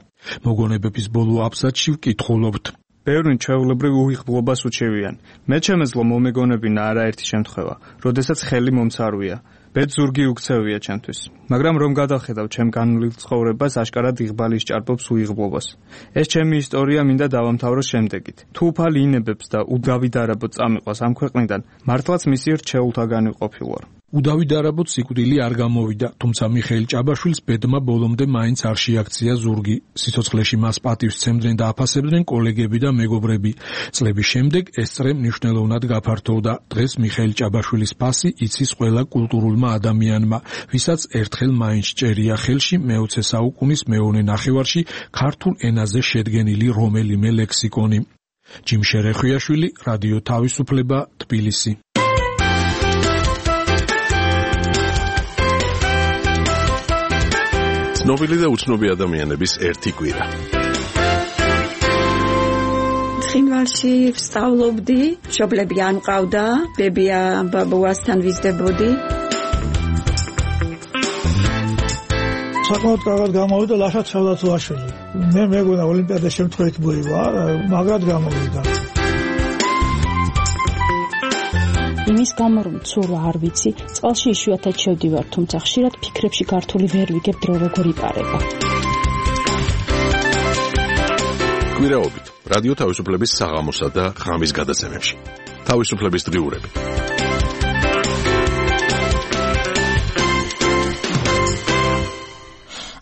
მოგონებების ბოლო აბზაცში ვკითხულობთ. ბევრი ჩვეულებრივ უიღბლობას უჩევიან. მე ჩემეძლო მომეგონებინა არაერთი შემთხვევა, როდესაც ხელი მომცარვია. ბედ ზურგი უქცევია ჩემთვის. მაგრამ რომ გადავხედავ ჩემ განვლილ ცხოვრებას, აშკარად იღბალი სჭარბობს უიღბლობას. ეს ჩემი ისტორია მინდა დავამთავროს შემდეგით. თუ უფალი ინებებს და უდავი დარაბო წამიყვას ამ ქვეყნიდან, მართლაც მისი რჩეულთაგანი ყოფილვარ. უდავი დარაბოც სიკვდილი არ გამოვიდა, თუმცა მიხეილ ჭაბაშვილს ბედმა ბოლომდე მაინც არ შეაქცია ზურგი. სიცოცხლეში მას პატივს სცემდნენ და აფასებდნენ კოლეგები და მეგობრები. წლების შემდეგ ეს წრე მნიშვნელოვნად გაფართოვდა. დღეს მიხეილ ჭაბაშვილის ფასი იცის ყველა კულტურულმა ადამიანმა, ვისაც ერთხელ მაინც ჭერია ხელში მე-20 საუკუნის მეოთხე ნახევარში ქართულ ენაზე შედგენილი რომელიმე ლექსიკონი. ჯიმ შერეხვიაშვილი, რადიო თავისუფლება, თბილისი. ცნობილი და უცნობი ადამიანების ერთი კვირა. ცხინვალში ვსწავლობდი, მშობლები არ მყავდა, ბებია ბაბუასთან ვიზრდებოდი. საკმაოდ კარგად გამოვიდა ლაშა ჩავდაცვაშვილი. მე მეგონა ოლიმპიადა შემთხვევით მოივა, მაგრად გამოვიდა. იმის გამო რომ ცურვა არ ვიცი, წყალში იშვიათად შევდივარ, თუმცა ხშირად ფიქრებში გართული ვერ ვიგებ დრო როგორ იპარება. კვირაობით რადიო თავისუფლების საღამოსა და ღამის გადაცემებში. თავისუფლების დღიურები.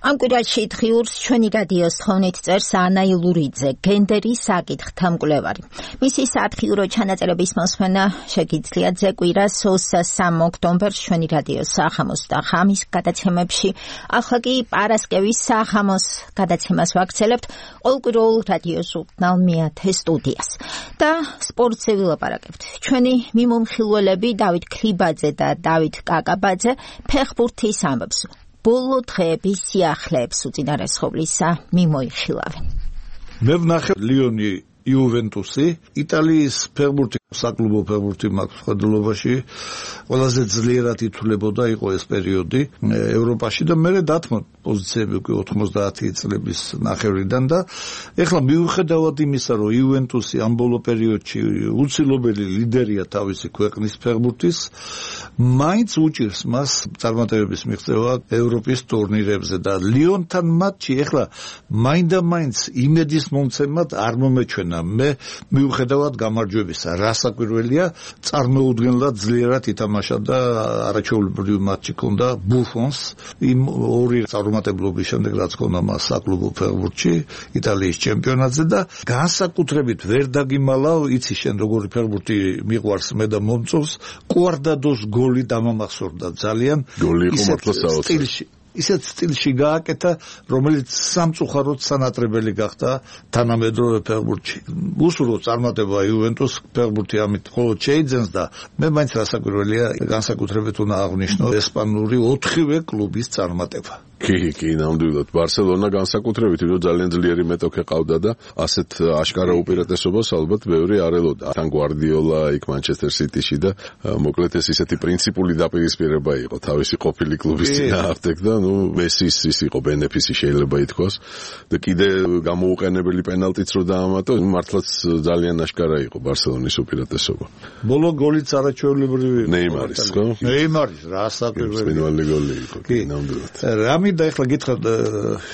ამ კვირაში დღიურს ჩვენი რადიოს თხოვნით წერს ანა ილურიძე, გენდერის საკითხთა მკვლევარი. მისი სათხიურო ჩანაწერების მოსმენა შეგიძლიათ კვირას 23 ოქტომბერს ჩვენი რადიოს საღამოს და ღამის გადაცემებში. ახლა კი პარასკევის საღამოს გადაცემას ვაგრძელებთ ყოველკვირეულ რადიო ჟურნალ მეათე სტუდიას. და სპორტზე ვილაპარაკებთ. ჩვენი მიმომხილველები დავით ქლიბაძე და დავით კაკაბაძე ფეხბურთის ამბებს. ბოლო დღეების სიახლეებს უწინარესხობლისა მიმოიხილავენ. მე ვნახე ლიონი იუვენტუსი, იტალიის ფეხბურთი, საკლუბო ფეხბურთი მაქვს ხედულობაში, ყველაზეძლიერად ითვლებოდა იყო ეს პერიოდი ევროპაში და მე დათმო პოზიციები უკვე 90 წლების ნახევრიდან და ეხლა მიუხედავად იმისა, რომ იუვენტუსი ამ ბოლო პერიოდში უცილობელი ლიდერია თავისი ქვეყნის ფეხბურთის, მაინც უჭირს მას წარმატებების მიღწევა ევროპის ტურნირებზე და ლიონთან მატჩი ეხლა მაინდა-მაინც იმედის მომცემად არ მომეჩვენა. მე მიუხედავად გამარჯვებისა, რასაკვირველია, წარმოუდგენლად ძლიერად ითამაშა და არაჩვეულებრივი მატჩი ჰქონდა ბუფონს იმ ორი წარმატებლობის შემდეგ, რაც ჰქონდა მას საკლუბო ფეხბურთში, იტალიის ჩემპიონატზე და განსაკუთრებით ვერ დაგიმალავ, იცი შენ როგორი ფეხბურთი მიყვარს მე და მომწონს, კვარდადოს გოლი დამამახსოვრდა ძალიან. გოლი იყო მართლა სტილში. ისეთ სტილში გააკეთა, რომელიც სამწუხაროდ სანატრებელი გახდა თანამედროვე ფეხბურთში. უსურვო წარმატება იუვენტუს ფეხბურთი ამით მხოლოდ შეიძენს და მე მაინც რასაკვირველია, განსაკუთრებით უნდა აღვნიშნო ესპანური 4-ვე კლუბის წარმატება. კი, ნამდვილად. ბარსელონა განსაკუთრებით, რომ ძალიან ძლიერი მეტოქე ყავდა და ასეთ აშკარა უპირატესობას ალბათ ბევრი არ ელოდა. თან გვარდიოლა იქ მანჩესტერ სიტიში და მოკლედ ეს ისეთი პრინციპული დაპირისპირება იყო თავისი ყოფილი კლუბის წინააღმდეგ და მესის ის იყო ბენეფისი შეიძლება ითქვას და კიდე გამოუყენებელი პენალტიც რო დაამატო, მართლაც ძალიან აშკარა იყო ბარსელონის უპირატესობა. ბოლო გოლიც არაჩვეულებრივი ნეიმარის, ხო? ნეიმარის, რასაკვირველი გოლი იყო, კი, ნამდვილად. რამი და ეხლა გითხრათ,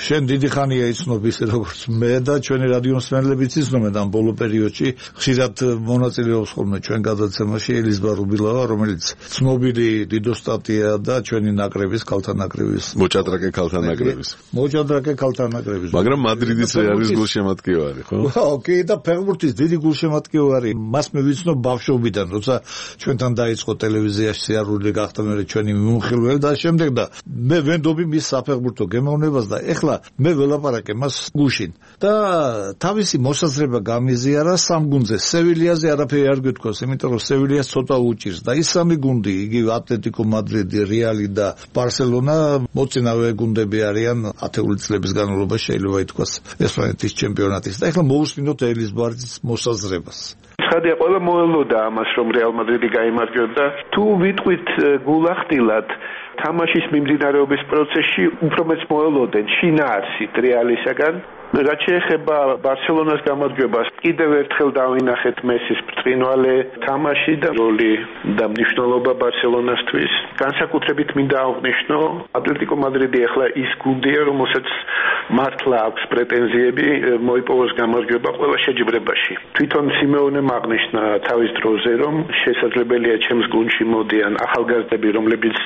შენ დიდი ხანია იცნობ ისე როგორც მე და ჩვენი რადიო მსმენელებიც იცნობენ ამ ბოლო პერიოდში, ხშირად მონაწილეობს ხოლმე ჩვენ გადაცემაში ელიზბარ რუბილავა, რომელიც ცნობილი დიდოსტატია და ჩვენი ნაკრების, ქალთა ნაკრების მოჭადრაკე ქალთა ნაკრების. მოჭადრაკე ქალთა ნაკრების. მაგრამ მადრიდის რეალის გულშემატკივარი, ხო? ოკეი, და ფეხბურთის დიდი გულშემატკივარი. მას მე ვიცნობ ბავშვობიდან, როცა ჩვენთან დაიწყო ტელევიზიაში სიარული გახდა მე ჩვენი მიმოხილველი და შემდეგ და მე ვენდობი მის საფეხბურთო გემოვნებას და ეხლა მე ველაპარაკე მას გუშინ. და თავისი მოსაზრება გამიზიარა სამ გუნდზე. სევილიაზე არაფერი არ გეთქვას, იმიტომ რომ სევილიას ცოტა უჭირს და ის სამი გუნდი, იგივე ატლეტიკო მადრიდი, რეალი და ბარსელონა მოწინავე გუნდები არიან 10 წლების განმავლობაში შეიძლება ითქვას ესპანეთის ჩემპიონატის და ეხლა მოусმინოთ ელიზბარის მოსაზრებას. ცხადია ყველა მოელოდა ამას რომ რეალ მადრიდი გაიმარჯვებდა თუ ვიტყვით გულახდილად თამაშის მიმდინარეობის პროცესში უფრო მეც მოელოდნენ შინაარსით რეალისაგან რაც შეეხება ბარსელონას გამარჯვებას კიდევ ერთხელ დავინახეთ მესის ბრწყინვალე თამაში და როლი და მნიშვნელობა ბარსელონასთვის განსაკუთრებით მინდა აღვნიშნო ატლეტიკო მადრიდი ახლა ის გუნდია რომელსაც მართლა აქვს პრეტენზიები მოიპოვოს გამარჯვება ყველა შეჯიბრებაში თვითონ სიმეონემ აღნიშნა თავის დროზე რომ შესაძლებელია ჩემს გუნდში მოდიან ახალგაზრდები რომლებიც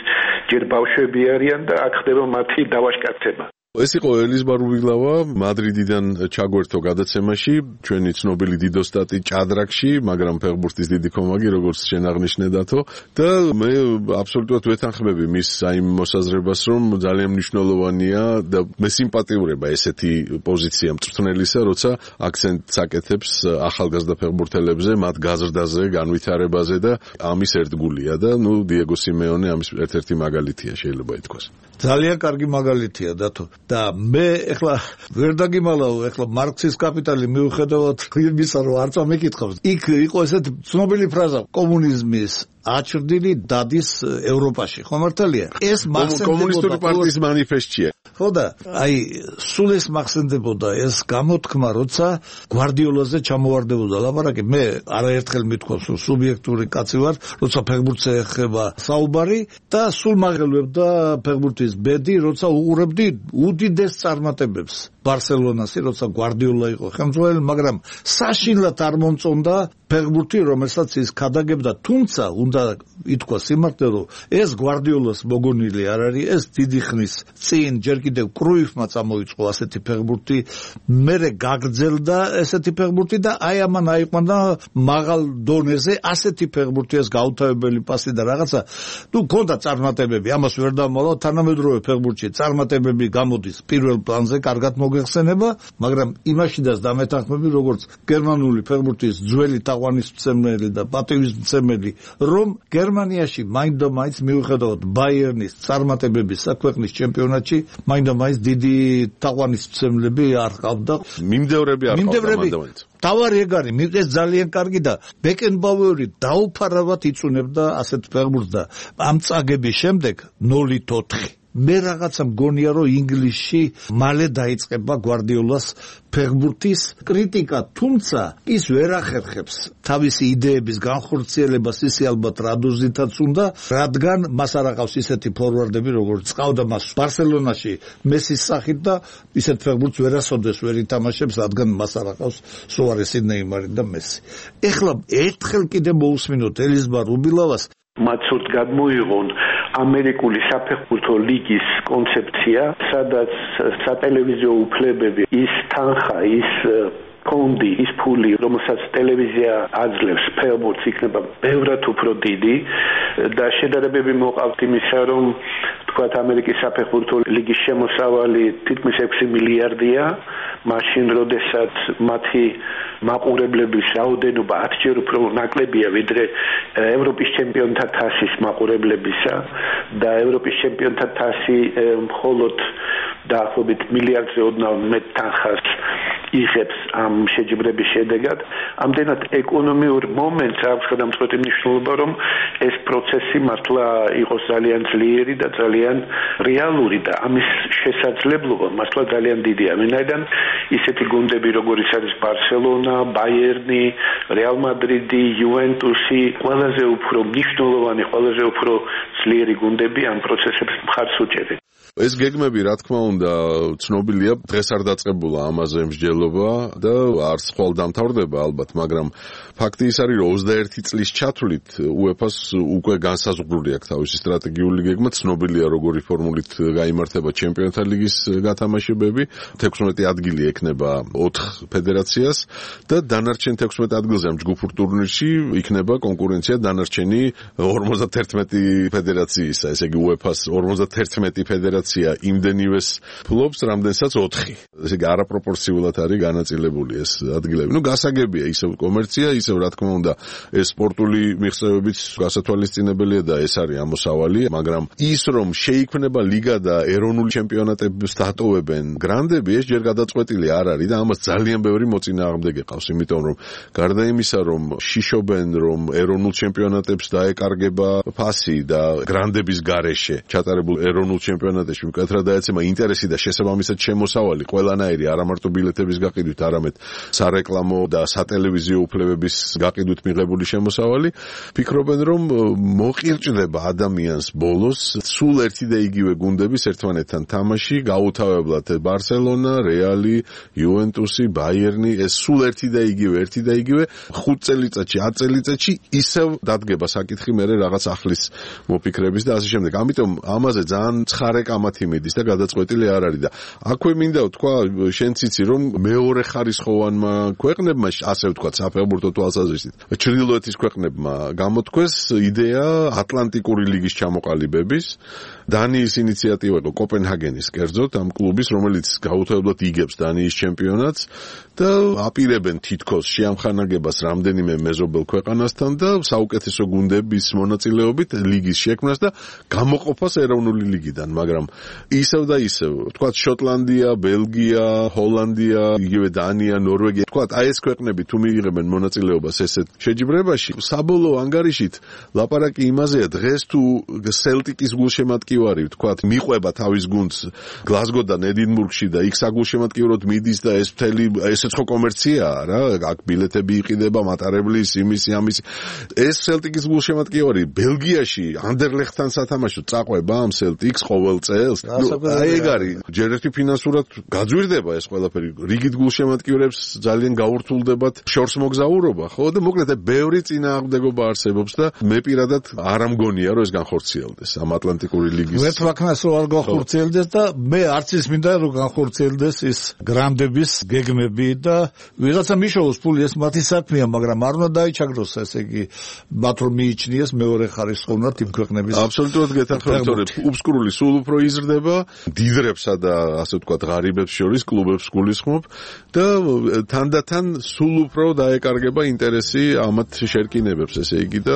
ჯერ ბავშვები არიან და აქ ხდება მათი დავაშკაცება ეს იყო ელიზბარული გლავა მადრიდიდან ჩაგვერთო გადაცემაში ჩვენი ცნობილი დიდოსტატი ჭადრაკში მაგრამ ფეხბურთის დიდი კომაგი როგორც შენ აღნიშნე დათო და მე აბსოლუტურად ვეთანხმები მის აიმ მოსაზრებას რომ ძალიან მნიშვნელოვანია და მე სიმპათიურება ესეთი პოზიცია მწვრთნელისა როცა აქცენტს აკეთებს ახალგაზრდა ფეხბურთელებზე მათ გაზრდაზე განვითარებაზე და ამის ერთგულია და ნუ დიეგო სიმეონე ამის ერთ-ერთი მაგალითია შეიძლება ითქვას ძალიან კარგი მაგალითია დათო და მე ეხლა ვერ დაგიმალავ ეხლა მარქსის კაპიტალი მიუხედავად იმისა რომ არ წამიკითხავს იქ იყო ესეთ ცნობილი ფრაზა კომუნიზმის აჩრდილი დადის ევროპაში ხო მართალია ეს კომუნისტური პარტიის მანიფესტია ხო და აი სულ ეს მახსენდებოდა ეს გამოთქმა როცა გვარდიოლაზე ჩამოვარდებოდა ლაპარაკი მე არაერთხელ მithქვავს რომ სუბიექტური კაცი ვარ როცა ფეხბურთზე ეხება საუბარი და სულ მაღელვებდა ფეხბურთის ბედი როცა უყურებდი უდიდეს წარმატებებს ბარსელონასი როცა გვარდიოლა იყო ხელმძღვანელი მაგრამ საშინლად არ მომწონდა ფეხბურთი რომელსაც ის ქადაგებდა თუმცა უნდა ითქვა სიმართლე რომ ეს გვარდიოლას მოგონილი არ არის ეს დიდი ხნის წინ ჯერ კიდევ კრუიფმა წამოიწყო ასეთი ფეხბურთი მერე გაგრძელდა ესეთი ფეხბურთი და აი ამან აიყვანა მაღალ დონეზე ასეთი ფეხბურთი ეს გაუთავებელი პასი და რაღაცა თუ გქონდა წარმატებები ამას ვერ დამალავ თანამედროვე ფეხბურთში წარმატებები გამოდის პირველ პლანზე კარგად მოგეხსენება მაგრამ იმაშიდაც დამეთანხმები როგორც გერმანული ფეხბურთის ძველი თაყვანისმცემელი და პატივისმცემელი რომ გერმანიაში მაინდამაინც მიუხედავად ბაიერნის წარმატებების საქვეყნის ჩემპიონატში მაინდამაინც დიდი თაყვანისმცემლები არ ყავდა მიმდევრები არ ყავდა თავარი ეგ არის ეს ძალიან კარგი და ბეკენბაუერი დაუფარავად იწუნებდა ასეთ ფეხბურთს და ამ წაგების შემდეგ 0-4 მე რაღაცა მგონია რომ ინგლისში მალე დაიწყება გვარდიოლას ფეხბურთის კრიტიკა თუმცა ის ვერ ახერხებს თავისი იდეების განხორციელებას ისე ალბათ რადოზითაც უნდა რადგან მას არ აყავს ისეთი ფორვარდები როგორც ყავდა მას ბარსელონაში მესის სახით და ისეთ ფეხბურთს ვერასოდეს ვერ ითამაშებს რადგან მას არ აყავს სუარესი ნეიმარი და მესი ეხლა ერთხელ კიდე მოусმინოთ ელიზბარ უბილავას მათ სულ გადმოიღონ ამერიკული საფეხბურთო ლიგის კონცეფცია, სადაც სატელევიზიო უფლებები, ის თანხა, ის ფონდი, ის ფული, რომელსაც ტელევიზია აძლევს ფეხბურთს, იქნება ბევრად უფრო დიდი და შედარებები მოყავთ იმისა, რომ თქვათ ამერიკის საფეხბურთო ლიგის შემოსავალი თითქმის 6 მილიარდია, მაშინ როდესაც მათი მაყურებლების რაოდენობა 10 ჯერ უფრო ნაკლებია ვიდრე ევროპის ჩემპიონთა თასის მაყურებლებისა და ევროპის ჩემპიონთა თასი მხოლოდ დაახლოებით მილიარდზე ოდნავ მეტ თანხას იღებს ამ შეჯიბრების შედეგად ამდენად ეკონომიურ მომენტს აქვს გადამწყვეტი მნიშვნელობა რომ ეს პროცესი მართლა იყოს ძალიან ძლიერი და ძალიან რეალური და ამის შესაძლებლობა მართლა ძალიან დიდია ვინაიდან ისეთი გუნდები როგორიც არის ბარსელონა, ბაიერნი, რეალ მადრიდი, იუვენტუსი ყველაზე უფრო მნიშვნელოვანი, ყველაზე უფრო ძლიერი გუნდები ამ პროცესებს მხარს უჭერენ ეს გეგმები რა თქმა უნდა ცნობილია დღეს არ დაწყებულა ამაზე მსჯელობა და არც ხვალ დამთავრდება ალბათ მაგრამ ფაქტი ის არის რომ 21 წლის ჩათვლით UEFA-ს უკვე განსაზღვრული აქვს თავისი სტრატეგიული გეგმა ცნობილია როგორი ფორმულით გაიმართება ჩემპიონთა ლიგის გათამაშებები 16 ადგილი ექნება 4 ფედერაციას და დანარჩენ 16 ადგილზე ამ ჯგუფურ ტურნირში იქნება კონკურენცია დანარჩენი 51 ფედერაციისა ესე იგი UEFA-ს 51 ფედერაცია იმდენივეს ფლობს, რამდენსაც 4. ესე იგი არაპროპორციულად არის არის განაწილებული ეს ადგილები. გასაგებია ისევ კომერცია, ისევ რა თქმა უნდა ეს სპორტული მიღწევებიც გასათვალისწინებელია და ეს არის ამოსავალი, მაგრამ ის რომ შეიქმნება ლიგა და ეროვნული ჩემპიონატებს დატოვებენ გრანდები, ეს ჯერ გადაწყვეტილი არ არის და ამას ძალიან ბევრი მოწინააღმდეგე ყავს, იმიტომ რომ გარდა იმისა, რომ შიშობენ, რომ ეროვნულ ჩემპიონატებს დაეკარგება ფასი და გრანდების გარეშე ჩატარებულ ეროვნულ ჩემპიონატებში მკვეთრად დაეცემა ინტერესი და შესაბამისად შემოსავალი ყველანაირი, არა მარტო ბილეთების გაყიდვით, არამედ სარეკლამო და სატელევიზიო უფლებების გაყიდვით მიღებული შემოსავალი, ფიქრობენ, რომ მოყირჭდება ადამიანს ბოლოს სულ ერთი და იგივე გუნდების ერთმანეთთან თამაში, გაუთავებლად ბარსელონა, რეალი, იუვენტუსი, ბაიერნი, ეს სულ ერთი და იგივე 5 წელიწადში, 10 წელიწადში ისევ დადგება საკითხი მერე რაღაც ახლის მოფიქრების და ასე შემდეგ. ამიტომ ამაზე ძალიან ცხარე კამათი მიდის და გადაწყვეტილი არ არის და აქვე მინდა ვთქვა, შენც იცი რომ მეორე ხარისხოვანმა ქვეყნებმა, ასე ვთქვათ, საფეხბურთო თვალსაზრისით, ჩრდილოეთის ქვეყნებმა გამოთქვეს იდეა ატლანტიკური ლიგის ჩამოყალიბების. დანიის ინიციატივა იყო კოპენჰაგენის კერძოდ ამ კლუბის, რომელიც გაუთავებლად იგებს დანიის ჩემპიონატს და აპირებენ თითქოს შეამხანაგებას რამდენიმე მეზობელ ქვეყანასთან და საუკეთესო გუნდების მონაწილეობით ლიგის შექმნას და გამოყოფას ეროვნული ლიგიდან, მაგრამ ისევ და ისევ, ვთქვათ, შოტლანდია, ბელგია, ჰოლანდია, იგივე დანია, ნორვეგია, ვთქვათ, აი ეს ქვეყნები თუ მიიღებენ მონაწილეობას ესეთ შეჯიბრებაში, საბოლოო ანგარიშით ლაპარაკი იმაზეა, დღეს თუ სელტიკის გულშემატკივარი, ვთქვათ, მიყვება თავის გუნდს გლაზგოდან ედინბურგში და იქ საგულშემატკივროდ მიდის და ეს მთელი ესეც ხო კომერციაა რა, აქ ბილეთები იყიდება, მატარებლის, იმისი, ამისი. ეს სელტიკის გულშემატკივარი ბელგიაში ანდერლეხტთან სათამაშოდ წაყვება ამ სელტიკს ყოველ წელს. აი ეგ არის, ჯერ ერთი ფინანსურად გაძვირდება ეს ყველაფერი. რიგით გულშემატკივრებს ძალიან გაურთულდებათ შორს მოგზაურობა, ხო? და მოკლედ ბევრი წინააღმდეგობა არსებობს და მე პირადად არ ამგონია რომ ეს განხორციელდეს ამ ატლანტიკური ლიგის. ვერც ვაქნას რომ არ განხორციელდეს და მე არც ის მინდა რომ განხორციელდეს ის გრანდების გეგმები და ვიღაცა მიშოვოს ფული, ეს მათი საქმეა, მაგრამ არ უნდა დაიჩაგროს, ესე იგი მათ რომ მიიჩნიეს მეორე ხარისხოვნად იმ ქვეყნების. აბსოლუტურად გეთანხმებით, თორე უბსკურული სულ უფრო იზრდება, დიდრებსა და ასე ვთქვათ, ღარიბებს შორის კლუბებს გულისხმობ და თანდათან სულ უფრო დაეკარგება ინტერესი ამათ შერკინებებს, ესე იგი და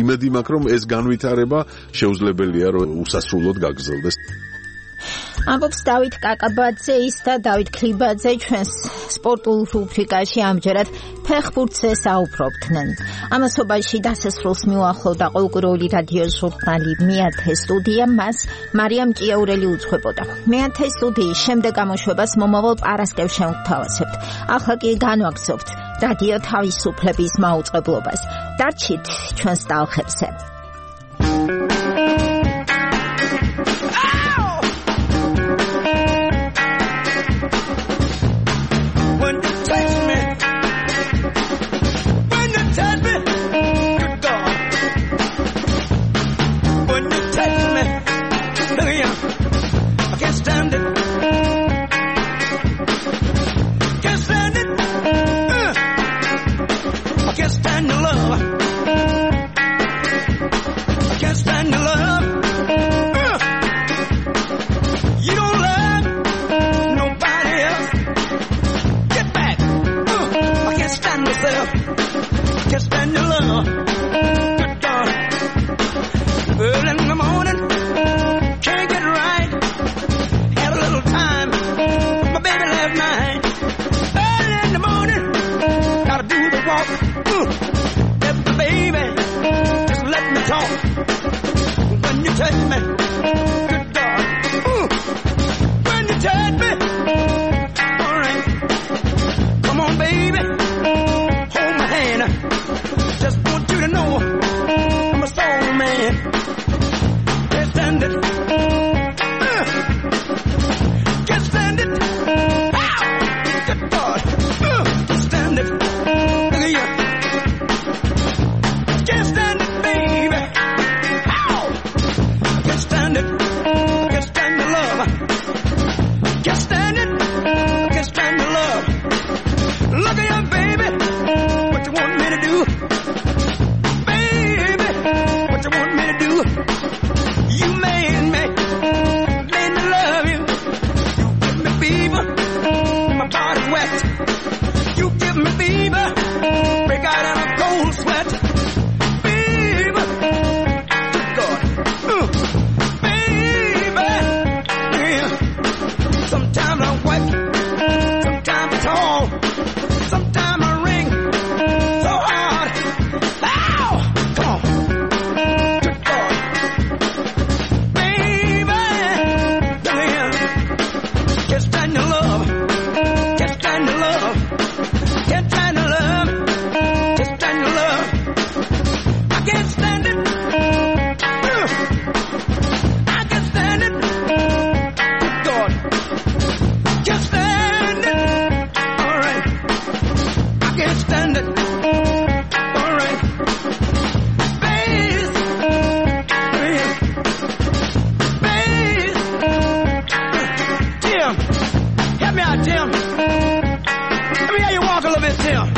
იმედი მაქვს, რომ ეს განვითარება შეუძლებელია რომ უსასრულოდ გაგრძელდეს. ამბობს დავით კაკაბაძე ის და დავით ქლიბაძე ჩვენს სპორტულ რუბრიკაში ამჯერად ფეხბურთზე საუბრობდნენ. ამასობაში დასასრულს მიუახლოვდა ყოველკვირეული რადიო ჟურნალი მეათე სტუდია, მას მარიამ ჭიაურელი უძღვებოდა. მეათე სტუდიის შემდეგ გამოშვებას მომავალ პარასკევს შევთავაზებთ. ახლა კი განვაგრძობთ რადიო თავისუფლების მაუწყებლობას. დარჩით ჩვენს ტალღებზე. Can't stand body wet. You give me fever, break out in a cold sweat. Fever, God, baby, yeah. Sometimes I'm wet, sometimes I'm tall, sometimes I ring so hard. Ow, come on, good God, baby, yeah. Can't stand your love, can't stand your love, can't stand your love, can't stand your love. I can't stand it. I can't stand it. God, can't stand it. All right, I can't stand it. All right, bass, bass, Tim, help me out, Tim. Let me hear you walk a little bit, Tim.